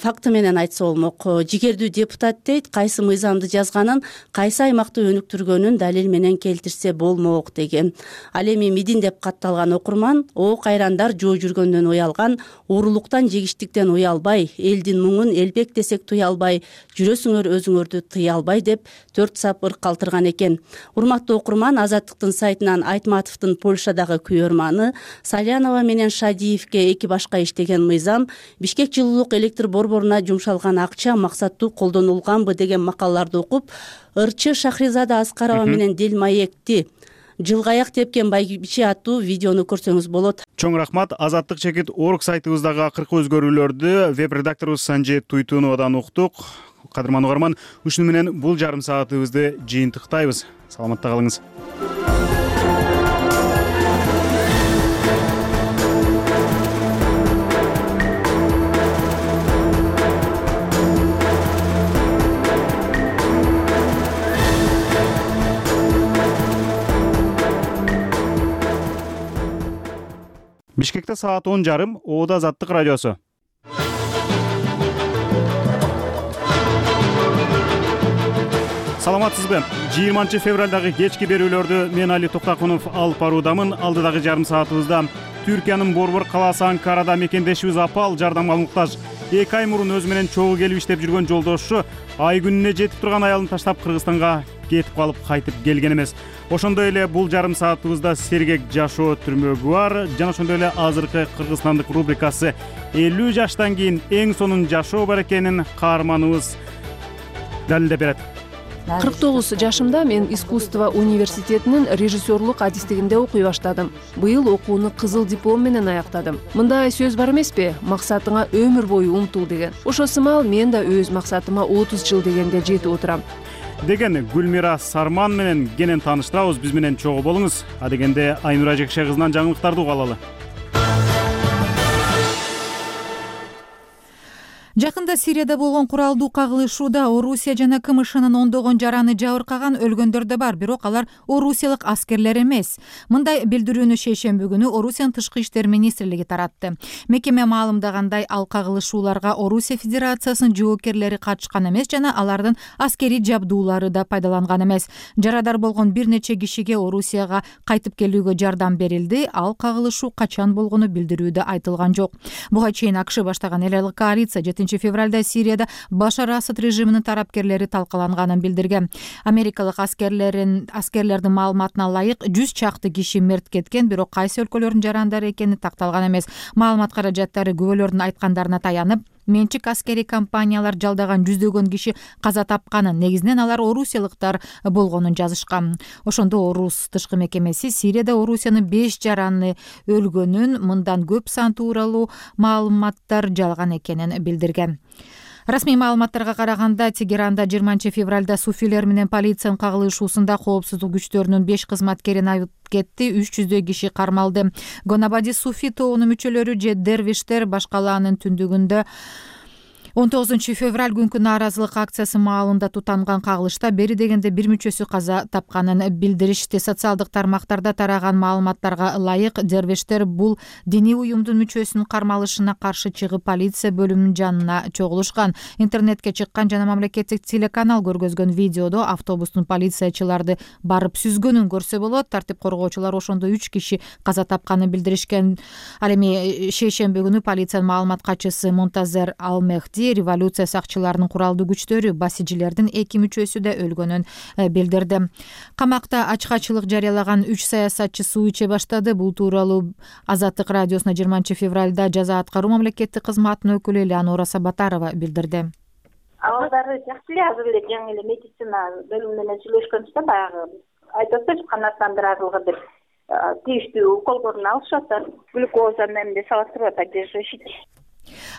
факты менен айтса болмок. Жигердүү депутат дейт, кайсы мыйзамды жазганын, кайсы аймакты өнүктүргөнүн далил менен келтирсе болмок деген. Ал эми мидин деп катталган окурман, о кайрандар жоо жүргөндөн уялган, уурулуктан, жегиштиктен уялбай, элдин муңун элбек десек туя албай, жүрөсүңөр өзүңөрдү тыя албай деп 4 сап ырк калтырган экен. Урматтуу окурман, Азаттыктын сайтынан Айтматовдун Польшадагы күйөрманы, Салянова менен Шадиевке эки башка иштеген мыйзам, Бишкек жылуулук электр борборуна жумшалган акча максаттуу колдонулганбы деген макалаларды окуп, ырчы Шахризада Аскарова менен Делмаекти жылгаяк тепкен байбиче аттуу видеону көрсөңүз болот. Чоң рахмат. Азаттык чекит орг сайтыбыздагы акыркы өзгөрүүлөрдү веб редакторубуз Санжи Туйтуновадан уктук. Кадырман угарман, ушуну менен бул жарым саатыбызды жыйынтыктайбыз. Саламатта калыңыз. Бишкекте саат 10:30, Оода Азаттык радиосу. Саламатсызбы? 20 февралдагы кечки берүүлөрдү мен Али Токтакунов алып баруудамын. Алдыдагы жарым саатыбызда Түркиянын Борбор калаасы Анкарада мекендешибиз апал жардамга муктаж. 2 ай мурун өзү менен чогуу келип иштеп жүргөн жолдошу ай күнүнө жетип турган аялын таштап Кыргызстанга кетип калып кайтып келген эмес. Ошондой эле бул жарым саатыбызда сергек жашоо түрмөгү бар. Жана ошондой эле азыркы Кыргызстандык рубрикасы 50 жаштан кийин эң сонун жашоо бар экенин каарманыбыз далилдеп берет. 49 жашымда мен искусство университетинин режиссерлук адистигинде окуй баштадым. Быйыл окууну кызыл диплом менен аяктадым. Мындай сөз бар эмеспи? Максатыңа өмүр бою умтул деген. Ошо сымал мен да өз максатыма 30 жыл дегенде жетип отурам деген Гүлмира Сарман менен кенен тааныштырабыз. Биз менен чогуу болуңуз. Адегенде Айнура Жекше кызынан жаңылыктарды угалы. Жакында Сирияда болгон куралдуу кагылышууда Орусия жана КМШнын ондогон жараны жабыркаган, өлгөндөр да бар, бирок алар орусиялык аскерлер эмес. Мындай билдирүүнү шейшемби күнү Орусиянын тышкы иштер министрлиги таратты. Мекеме маалымдагандай, ал кагылышууларга Орусия Федерациясынын жоокерлери катышкан эмес жана алардын аскерий жабдуулары да пайдаланган эмес. Жарадар болгон бир нече кишиге Орусияга кайтып келүүгө жардам берилди. Ал кагылышуу качан болгону билдирүүдө айтылган жок. Буга чейин АКШ баштаган эл аралык коалиция 7 февралда Сирияда Башар Асад режиминин тарапкерлери талкаланганын билдирген. Америкалык аскерлердин маалыматына ылайык 100 чакты киши мерт кеткен, бирок кайсы өлкөлөрдүн жарандары экени такталган эмес. Маалымат каражаттары күбөлөрдүн айткандарына таянып, менчик аскерий компаниялар жалдаган жүздөгөн киши каза тапканын, негизинен алар орусиялыктар болгонун жазышкан. Ошондо Орус тышкы мекемеси Сирияда Орусиянын 5 жараны өлгөнүн, мындан көп сан тууралуу маалыматтар жалган экенин билдирген. Расмий маалыматтарга караганда, Тегеранда 20 февралда суфилер менен полициянын кагылышуусунда коопсуздук күчтөрүнүн 5 кызматкерин айып кетти, 300 киши кармалды. Гонабади суфи тобунун мүчөлөрү же дервиштер башкалаанын түндүгүндө 19 февраль күнкү нааразылык акциясы маалында тутанган кагылышта бери дегенде бир мүчөсү каза тапканын билдиришти. Социалдык тармактарда тараган маалыматтарга ылайык, дервиштер бул диний уюмдун мүчөсүнүн кармалышына каршы чыгып полиция бөлүмүнүн жанына чогулушкан. Интернетке чыккан жана мамлекеттик телеканал көргөзгөн видеодо автобустун полициячыларды барып сүзгөнүн көрсө болот. Тартип коргоочулар ошондо 3 киши каза тапканын билдиришкен. Ал эми шейшемби күнү полициянын маалымат катчысы Монтазер Алмехди революция сакчыларынын куралдуу күчтөрү басижилердин 2 мүчөсү да өлгөнүн билдирди. Камакта ачкачылык жарыялаган 3 саясатчы суу иче баштады. Бул тууралуу Азаттык радиосуна 20 февралда жаза аткаруу мамлекеттик кызматынын өкүлү Элеонора Сабатарова билдирди. Абалдары жакшы эле, азыр эле жаңы эле медицина бөлүмү менен сүйлөшкөнбүз, баягы айтып атпайбы, канааттандырарлыгы деп тийиштүү уколдорун алышып атат. Глюкоза менен салып туруп атат, жешишит.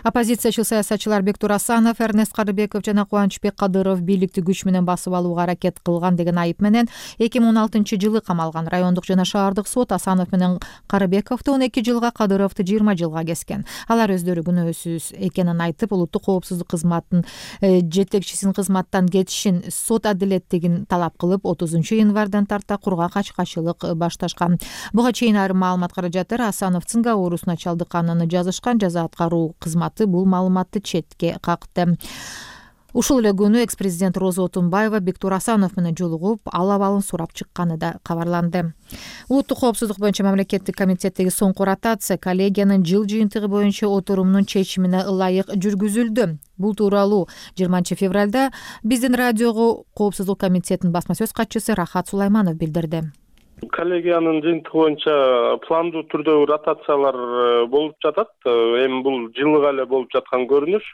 Оппозициячыл саясатчылар Бектур Асанов, Эрнест Карыбеков жана Кубанычбек Кадыров бийликти күч менен басып алууга аракет кылган деген айып менен 2016-жылы камалган. Райондук жана шаардык сот Асанов менен Карыбековду 12 жылга, Кадыровду 20 жылга кескен. Алар өздөрү күнөөсүз экенин айтып, улуттук коопсуздук кызматынын жетекчисинин кызматтан кетишин, сот адилеттигин талап кылып, 30 январдан тарта кургак ачкачылык башташкан. Буга чейин айрым маалымат каражаттары Асановдун оорусуна чалдыкканын жазышкан. Жаза аткаруу кызматы бул маалыматты четке какты. Ушул эле күнү экс-президент Роза Отунбаева Бектур Асанов менен жолугуп, ал абалын сурап чыкканы да кабарланды. Улуттук коопсуздук боюнча мамлекеттик комитеттеги соңку ротация коллегиянын жыл жыйынтыгы боюнча отурумунун чечимине ылайык жүргүзүлдү. Бул тууралуу 20 февралда биздин радиого коопсуздук комитетинин басма сөз катчысы Рахат Сулайманов билдирди. Коллегиянын жыйынтыгы боюнча пландуу түрдөгү ротациялар болуп жатат. Эми бул жылыга эле болуп жаткан көрүнүш.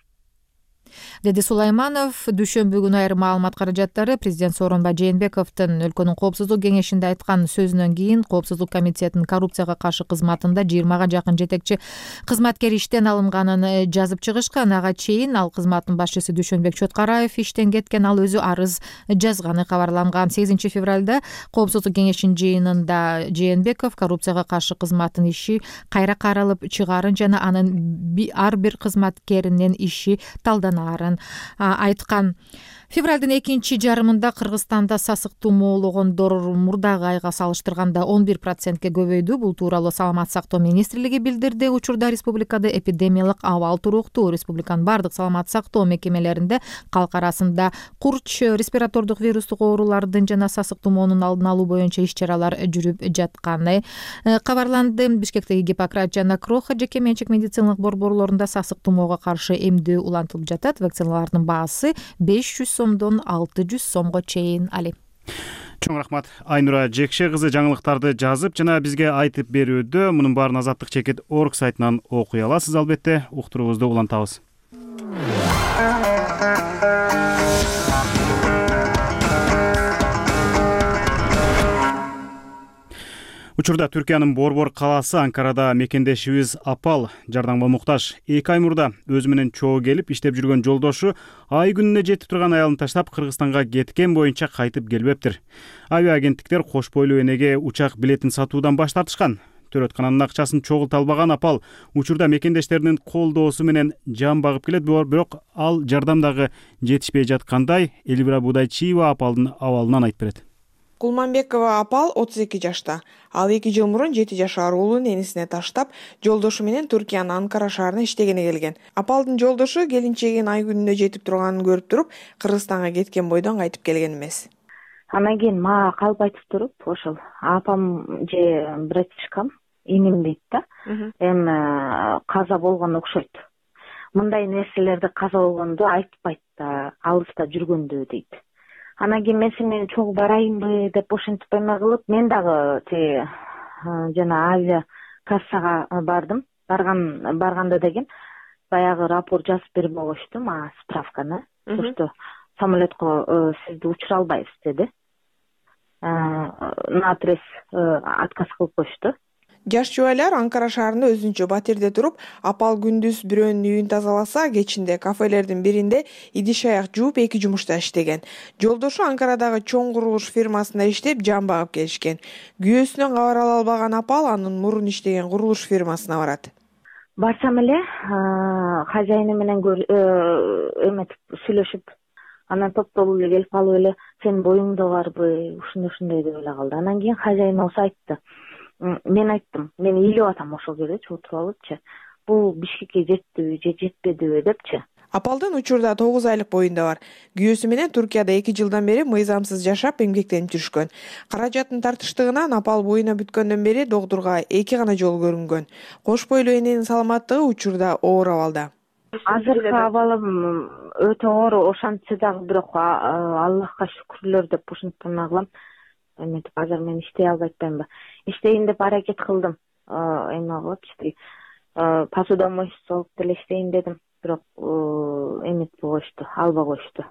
деди Сулайманов. Дүйшөмбү күнү айрым маалымат каражаттары президент Сооронбай Жээнбековдун өлкөнүн коопсуздук кеңешинде айткан сөзүнөн кийин коопсуздук комитетинин коррупцияга каршы кызматында 20га жакын жетекчи кызматкер иштен алынганын жазып чыгышкан. Ага чейин ал кызматтын башчысы Дүйшөнбек Чоткараев иштен кеткен, ал өзү арыз жазганы кабарланган. 8 февралда коопсуздук кеңешинин жыйынында Жээнбеков коррупцияга каршы кызматтын иши кайра каралып чыгаарын жана анын ар бир кызматкеринин иши талданаарын айткан. Февралдын экинчи жарымында Кыргызстанда сасык тумоологондор мурдагы айга салыштырганда 11%ке көбөйдү. Бул тууралуу Саламаттык сактоо министрлиги билдирди. Учурда республикада эпидемиялык абал туруктуу. Республиканын бардык саламаттык сактоо мекемелеринде калк арасында курч, респиратордук вирустук оорулардын жана сасык тумоонун алдын алуу боюнча иш-чаралар жүрүп жатканы кабарланды. Бишкектеги Гиппократ жана Кроха жеке менчик медициналык борборлорунда сасык тумоого каршы эмдөө улантылып жатат. Вакциналардын баасы 500 сомдон 600 сомго чейин. Али. Чоң рахмат. Айнура Жекше кызы жаңылыктарды жазып жана бизге айтып берүүдө. Мунун баарын Азаттык чекит org сайтынан окуй аласыз. Албетте уктуруубузду улантабыз. Учурда Түркиянын Борбор калаасы Анкарада мекендешибиз Апал жардамга муктаж. 2 ай мурда өзү менен чогуу келип иштеп жүргөн жолдошу ай күнүнө жетип турган аялын таштап Кыргызстанга кеткен боюнча кайтып келбептир. Авиа агенттиктер кош бойлуу энеге учак билетин сатуудан баш тартышкан. Төрөткананын акчасын чогулта албаган Апал учурда мекендештеринин колдоосу менен жан багып келет, бирок ал жардам дагы жетишпей жаткандай Элвира Будайчиева Апалдын абалынан айтып берет. Кулманбекова Апал 32 жашта. Ал 2 жыл мурун 7 жашар уулун энесине таштап, жолдошу менен Түркиянын Анкара шаарына иштегене келген. Апалдын жолдошу келинчегинин ай күнүнө жетип турганын көрүп туруп, Кыргызстанга кеткен бойдон кайтып келген эмес. Анан кийин мага калп айтып туруп, ошол апам же братишкам иним дейт да. Эми каза болгон окшойт. Мындай нерселерди каза болгондо айтпайт да, алыста жүргөндө дейт. Анан кийин мен сени менен чогуу барайынбы деп ошентип эме кылып, мен дагы жана авиа кассага бардым. Барганда деген баягы рапорт жазып берип койгочту мага, справканы. Что самолетко сизди учура албайбыз деди. Наотрез отказ кылып коюшту. Жаш жубайлар Анкара шаарында өзүнчө батирде туруп, Апал күндүз бирөөнүн үйүн тазаласа, кечинде кафелердин биринде идиш аяк жууп 2 жумушта иштеген. Жолдошу Анкарадагы чоң курулуш фирмасында иштеп, жан багып келишкен. Күйөөсүнөн кабар ала албаган Апал анын мурун иштеген курулуш фирмасына барат. Барсам эле хозяйны менен эметип сүйлөшүп, анан топтолуп эле келип калып эле сенин боюңда барбы, ушундай деп эле калды. Анан кийин хозяйн болсо айтты. Мен айттым, мен ыйлап атам ошол жерде отуруп алыпчы. Бул Бишкекке жеттиби же жетпедиби депчи. Апалдын учурда 9 айлык боюнда бар. Күйөөсү менен Түркияда 2 жылдан бери мыйзамсыз жашап эмгектенип жүрүшкөн. Каражаттын тартыштыгынан Апал боюна бүткөндөн бери доктурга 2 гана жолу көрүнгөн. Кош бойлуу эненин саламаттыгы учурда оор абалда. Азыркы абалым өтө оор, ошентсе дагы бирок Аллахка шүкүрлөр деп ушинтип эме кылам. Эметип азыр мен иштей албай атпаймынбы? Иштейин деп аракет кылдым. Эме кылыпчы. Посудомойщица болуп деле иштейин дедим, бирок эметип коюшту, албай коюшту.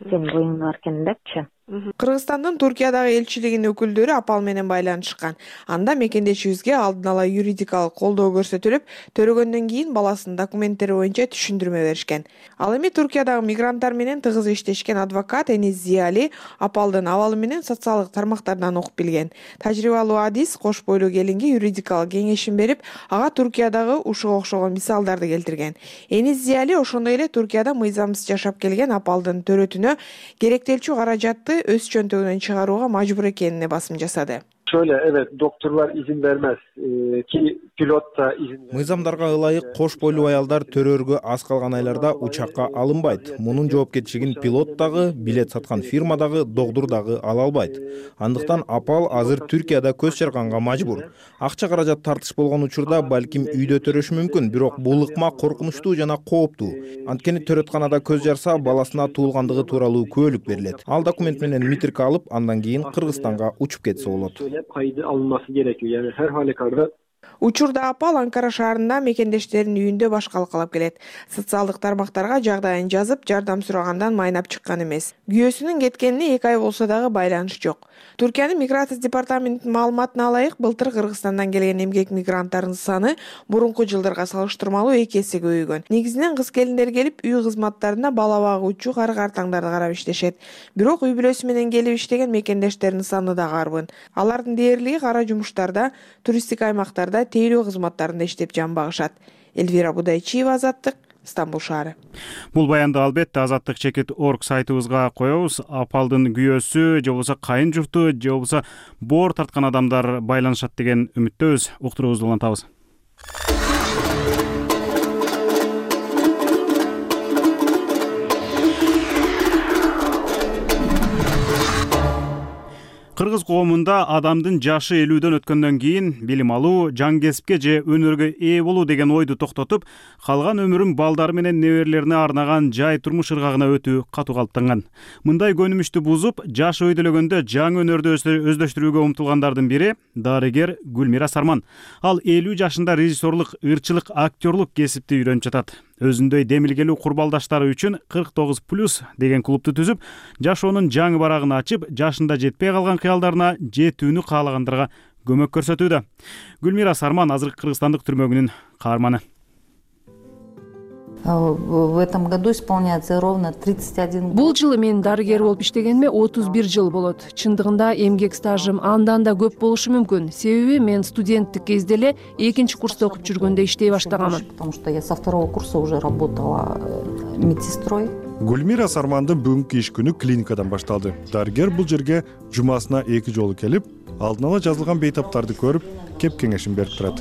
Сен боюң бар экен депчи. Кыргызстандын Туркиядагы элчилигинин өкүлдөрү Апал менен байланышкан. Анда мекендешибизге алдын ала юридикалык колдоо көрсөтүлүп, төрөгөндөн кийин баласынын документтери боюнча түшүндүрмө беришкен. Ал эми Туркиядагы мигранттар менен тыгыз иштешкен адвокат Энис Зияли Апалдын абалы менен социалдык тармактардан окуп билген. Тажрыйбалуу адис кош бойлуу келинге юридикалык кеңешин берип, ага Туркиядагы ушуга окшогон мисалдарды келтирген. Энис Зияли ошондой эле Туркияда мыйзамсыз жашап келген Апалдын төрөтүнө керектелчү каражатты өз чөнтөгүнөн чыгарууга мажбур экенине басым жасады. Şöyle evet doktorlar izin vermez ki pilot da izin vermez. Мыйзамдарга ылайык кош бойлуу аялдар төрөөргө аз калган айларда учакка алынбайт. Мунун жоопкерчилигин пилот дагы, билет саткан фирма дагы, доктур дагы ала албайт. Андыктан Апал азыр Түркияда көз чарганга мажбур. Акча каражат тартыш болгон учурда балким үйдө төрөшү мүмкүн, бирок бул ыкма коркунучтуу жана кооптуу. Анткени төрөтканада көз жарса, баласына туулгандыгы тууралуу күбөлүк берилет. Ал документ менен митрка алып, андан кийин Кыргызстанга учуп кетсе болот. Kaydı alınması gerekiyor. Yani her halükarda Учурда Апал Анкара шаарында мекендештеринин үйүндө баш калкалап келет. Социалдык тармактарга жагдайын жазып, жардам сурагандан майнап чыккан эмес. Күйөөсүнүн кеткенине 2 ай болсо дагы байланыш жок. Түркиянын миграция департаментинин маалыматына ылайык, былтыр Кыргызстандан келген эмгек мигранттардын саны мурунку жылдарга салыштырмалуу 2 эсе көбөйгөн. Негизинен кыз келиндер келип, үй кызматтарына бала багуучу кары-картаңдарды карап иштешет. Бирок үй бүлөсү менен келип иштеген мекендештердин саны да карбын. Алардын дээрлиги кара жумуштарда, туристтик аймактарда, тейлөө кызматтарында иштеп жан багышат. Эльвира Будайчиева, Азаттык, Стамбул шаары. Бул баянды албетте азаттык чекит орг сайтыбызга коебуз. Апалдын күйөөсү же болбосо кайын журту же болбосо боор тарткан адамдар байланышат деген үмүттөбүз. Уктуруубузду улантабыз. Кыргыз коомунда адамдын жашы 50дөн өткөндөн кийин билим алуу, жан кесипке же өнөргө ээ болуу деген ойду токтотуп, калган өмүрүн балдары менен неберелерине арнаган жай турмуш ыргагына өтүү катуу калыптанган. Мындай көнүмүштү бузуп, жашы өйдөлөгөндө жаңы өнөрдү өздөштүрүүгө умтулгандардын бири дарыгер Гүлмира Сарман. Ал 50 жашында режиссерлук, ырчылык, актерлук кесипти үйрөнүп жатат. Өзүндөй демилгелүү курбалдаштары үчүн 49+ деген клубду түзүп, жашоонун жаңы барагын ачып, жашында жетпей калган кыялдарына жетүүнү каалагандарга көмөк көрсөтүүдө. Гүлмира Сарман азыркы Кыргызстандык түрмөгүнүн каарманы. В этом году исполняется ровно 31 год. Бул жылы мен дарыгер болуп иштегениме 31 жыл болот. Чындыгында эмгек стажым андан да көп болушу мүмкүн. Себеби мен студенттик кезде эле 2-чи курста окуп жүргөндө иштей баштаганмын. Потому что я со 2-го курса уже работала медсестрой. Гүлмира Сармандын бүгүнкү иш күнү клиникадан башталды. Дарыгер бул жерге жумасына 2 жолу келип, алдын ала жазылган бейтаптарды көрүп, кеп кеңешин берип турат.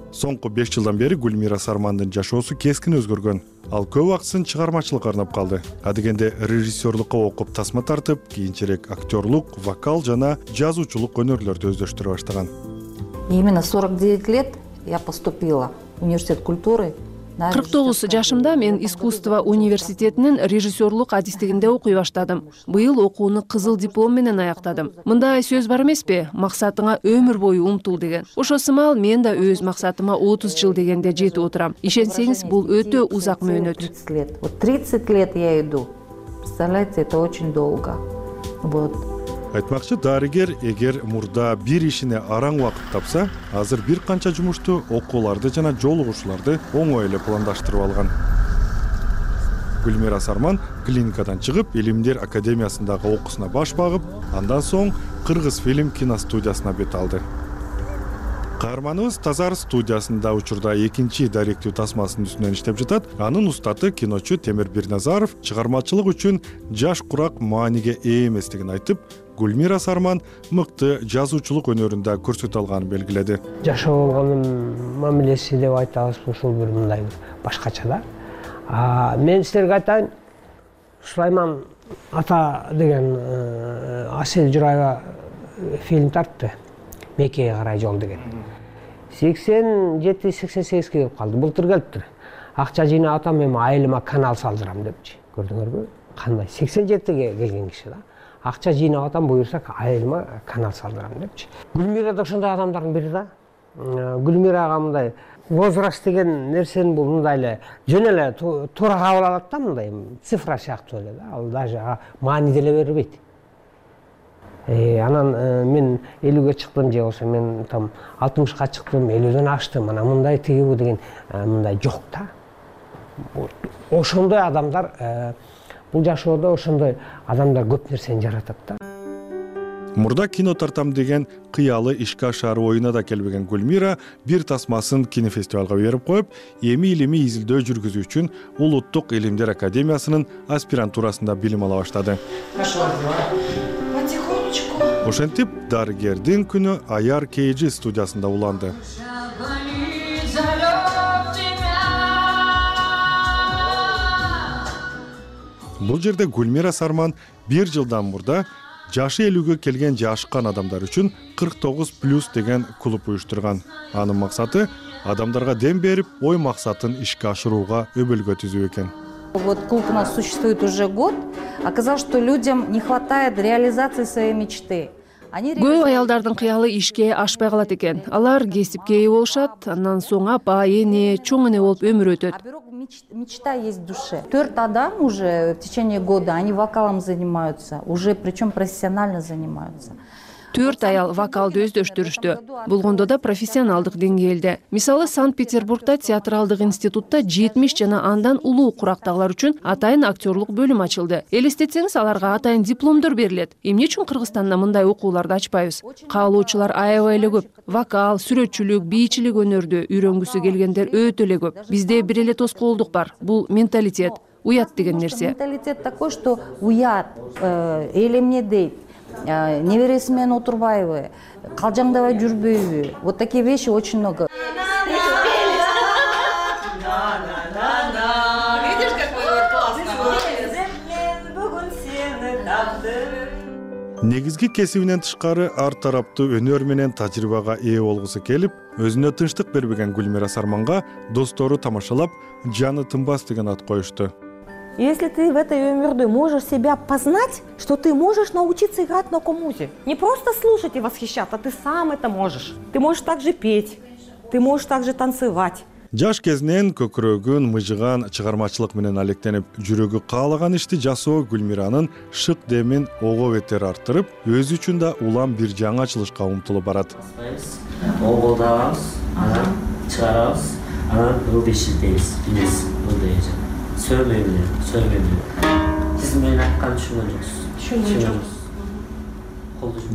Соңку 5 жылдан бери Гүлмира Сармандын жашоосу кескин өзгөргөн. Ал көп акысын чыгармачылыкка арнап калды. Адегенде режиссерлукка окуп тасма тартып, кийинчерээк актерлук, вокал жана жазуучулук өнөрлөрдү өздөштүрө баштаган. Именно 49 лет я поступила в университет культуры. 49 жашымда мен искусство университетинин режиссерлук адистигинде окуй баштадым. Быйыл окууну кызыл диплом менен аяктадым. Мындай сөз бар эмеспи? Максатыңа өмүр бою умтул деген. Ошо сымал мен да өз максатыма 30 жыл дегенде жетип отурам. Ишенсеңиз, бул өтө узак мөөнөт. 30 лет. Вот 30 лет я иду. Представляете, это очень долго. Вот. Айтмакчы, дарыгер эгер мурда бир ишине араң убакыт тапса, азыр бир канча жумушту, окууларды жана жолугушууларды оңой эле пландаштырып алган. Гүлмира Сарман клиникадан чыгып, Илимдер академиясындагы окуусуна баш багып, андан соң Кыргыз фильм киностудиясына бет алды. Каарманыбыз Тазар студиясында учурда 2-чи даректүү тасмасынын үстүнөн иштеп жатат. Анын устаты киночу Темир Бирназаров чыгармачылык үчүн жаш курак мааниге ээ эместигин айтып, Гүлмира Сарман мыкты жазуучулук өнөрүндө көрсөтө алганын белгиледи. Жашоо болгонун мамилеси деп айтабыз, ушул бир мындай башкача да. Мен силерге айтайын, Сулайман ата деген Асел Жураева фильм тартты. Меккеге карай жол деген. 87-88 келип калды. Былтыр келиптир. Акча жыйнап атам, мен айылыма канал салдырам депчи. Көрдүңөрбү? Кандай 87-ге келген киши да. Акча жыйнап атам, буюрса айылыма канал салдырам депчи. Гүлмира да ошондой адамдардын бири да. Гүлмирага мындай возраст деген нерсени бул мындай эле жөн эле туура кабыл алат да, мындай цифра сыяктуу эле да. Ал даже маани деле бербейт. Анан мен 50-ге чыктым же болсо мен там 60-ка чыктым, 50-дөн аштым. Анан мындай тигибу деген мындай жок да. Ошондой адамдар бул жашоодо ошондой адамдар көп нерсени жаратат да. Мурда кино тартам деген кыялы ишке ашар оюна да келбеген Гүлмира бир тасмасын кинофестивалга берип коюп, эми илимий изилдөө жүргүзүү үчүн Улуттук Илимдер академиясынын аспирантурасында билим ала баштады. Ошентип, дарыгердин күнү Аяр KG студиясында уланды. Бул жерде Гүлмира Сарман бир жылдан мурда жашы 50-ге келген жашкан адамдар үчүн 49+ деген клуб уюштурган. Анын максаты адамдарга дем берип, ой максатын ишке ашырууга өбөлгө түзүү экен. Вот клуб у нас существует уже год. Оказалось, что людям не хватает реализации своей мечты. Көп аялдардын кыялы ишке ашпай калат экен. Алар кесипке ээ болушат, андан соң апа, эне, чоң эне болуп өмүр өтөт. Мечта есть в душе. 4 адам уже в течение года они вокалом занимаются, уже причем профессионально занимаются. 4 аял вокалды өздөштүрүштү. Болгондо да профессионалдык деңгээлде. Мисалы, Санкт-Петербургда театралдык институтта 70 жана андан улуу курактагылар үчүн атайын актерлук бөлүм ачылды. Элестетсеңиз, аларга атайын дипломдор берилет. Эмне үчүн Кыргызстанда мындай окууларды ачпайбыз? Каалоочулар аябай эле көп. Вокал, сүрөтчүлүк, бийчилик өнөрдү үйрөнгүсү келгендер өтө эле көп. Бизде бир эле тоскоолдук бар. Бул менталитет, уят деген нерсе. Менталитет такой, что уят, эл эмне дейт, небереси менен отурбайбы, калжаңдабай жүрбөйбү. Вот такие вещи очень много. Негизги кесибинен тышкары ар тараптуу өнөр менен тажрыйбага ээ болгусу келип, өзүнө тынчтык бербеген Гүлмира Сарманга достору тамашалап, жаны тынбас деген ат коюшту. Если ты в этой өмүрдө можешь себя познать, что ты можешь научиться играть на комузе. Не просто слушать и восхищаться, ты сам это можешь. Ты можешь также петь, ты можешь также танцевать. Жаш кезинен көкүрөгүн мыжыган чыгармачылык менен алектенип, жүрөгү каалаган ишти жасоо Гүлмиранын шык демин ого бетер арттырып, өзү үчүн да улам бир жаңы ачылышка умтулуп барат. Оголдабыз, анан чыгарабыз, анан ылды иштейбиз, билесиз, ылды сөйлөйбүз. Сиз менин айтканымды түшүнгөн жоксуз.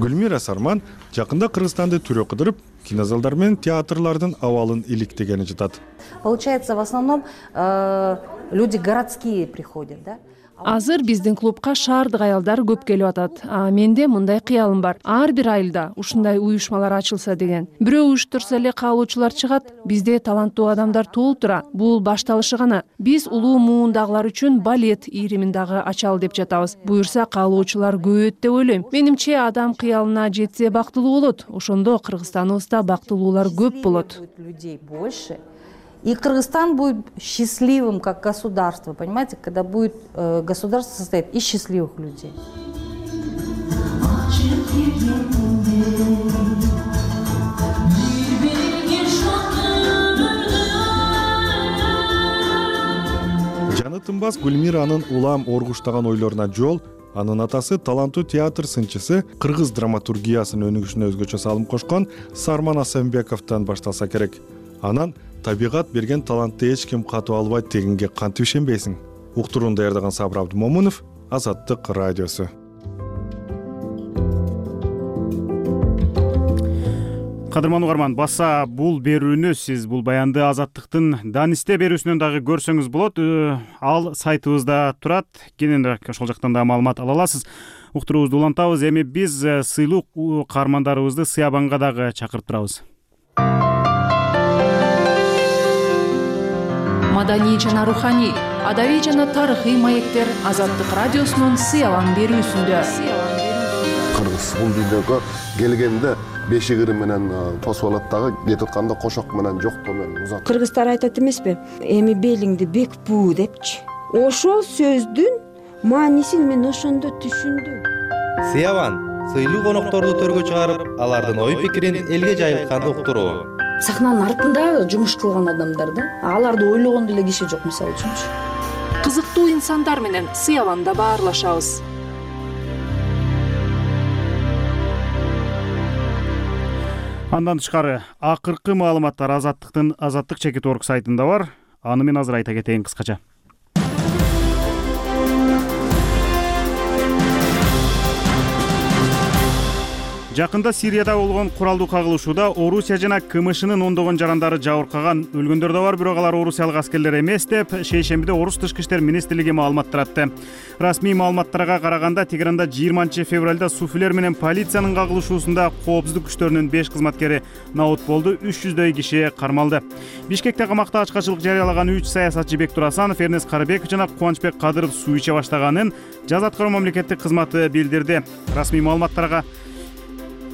Гүлмира Сарман жакында Кыргызстанды түрө кыдырып, кинозалдар менен театрлардын абалын иликтегени жатат. Получается, в основном люди городские приходят, да? Азыр биздин клубка шаардык аялдар көп келип атат. Менде мындай кыялым бар. Ар бир айылда ушундай уюшмалар ачылса деген. Бирөө уюштурса эле каалоочулар чыгат. Бизде таланттуу адамдар толтура. Бул башталышы гана. Биз улуу муундагылар үчүн балет иримин дагы ачалы деп жатабыз. Буюрса каалоочулар көбөйөт деп ойлойм. Менимче адам кыялына жетсе бактылуу болот. Ошондо Кыргызстаныбызда бактылуулар көп болот. Людей больше. И Кыргызстан будет счастливым как государство, понимаете, когда будет государство состоит из счастливых людей. Жаны тынбас Гүлмиранын улам оргуштаган ойлоруна жол анын атасы таланттуу театр сынчысы, кыргыз драматургиясынын өнүгүшүнө өзгөчө салым кошкон Сарман Асенбековдон башталса керек. Анан табигат берген талантты эч ким катып албайт дегенге кантип ишенбейсиң? Уктурууну даярдаган Сабыр Абдымомунов, Азаттык радиосу. Кадырман угарман, баса бул берүүнү сиз бул баянды Азаттыктын Данисте берүүсүнөн дагы көрсөңүз болот. Ал сайтыбызда турат. Кенен ошол жактан да маалымат ала аласыз. Уктуруубузду улантабыз. Эми биз сыйлуу каармандарыбызды Сыябанга дагы чакырып турабыз. Маданий жана руханий, адабий жана тарыхый маектер Азаттык радиосунун Сыябан берүүсүндө. Кыргыз бул дүйнөгө келгенде бешигири менен тосуп алат дагы, кетип атканда кошок менен жоктоо менен узат. Кыргыздар айтат эмеспи? Эми белиңди бекпүү депчи. Ошол сөздүн маанисин мен ошондо түшүндүм. Сыябан сыйлуу конокторду төргө чыгарып, алардын ой пикирин элге жайылткан уктуруу. Сахнанын артында жумуш кылган адамдар да, аларды ойлогон деле киши жок, мисалы үчүнчү. Кызыктуу инсандар менен Сыябанда баарлашабыз. Андан тышкары акыркы маалыматтар Азаттыктын Азаттык чекит орг сайтында бар. Аны мен азыр айта кетейин кыскача. Жакында Сирияда болгон куралдуу кагылышууда Орусия жана КМШнын ондогон жарандары жабыркаган. Өлгөндөр да бар, бирок алар орусиялык аскерлер эмес деп шейшембиде Орус тышкы иштер министрлиги маалымат таратты. Расмий маалыматтарга караганда Тегеранда 20-февралда суфилер менен полициянын кагылышуусунда коопсуздук күчтөрүнүн 5 кызматкери наут болду, 300дөй киши кармалды. Бишкекте камакта ачкачылык жарыялаган 3 саясатчы Бектур Асанов, Эрнест Карыбеков жана Кубанычбек Кадыров суу иче баштаганын Жаза аткаруу мамлекеттик кызматы билдирди. Расмий маалыматтарга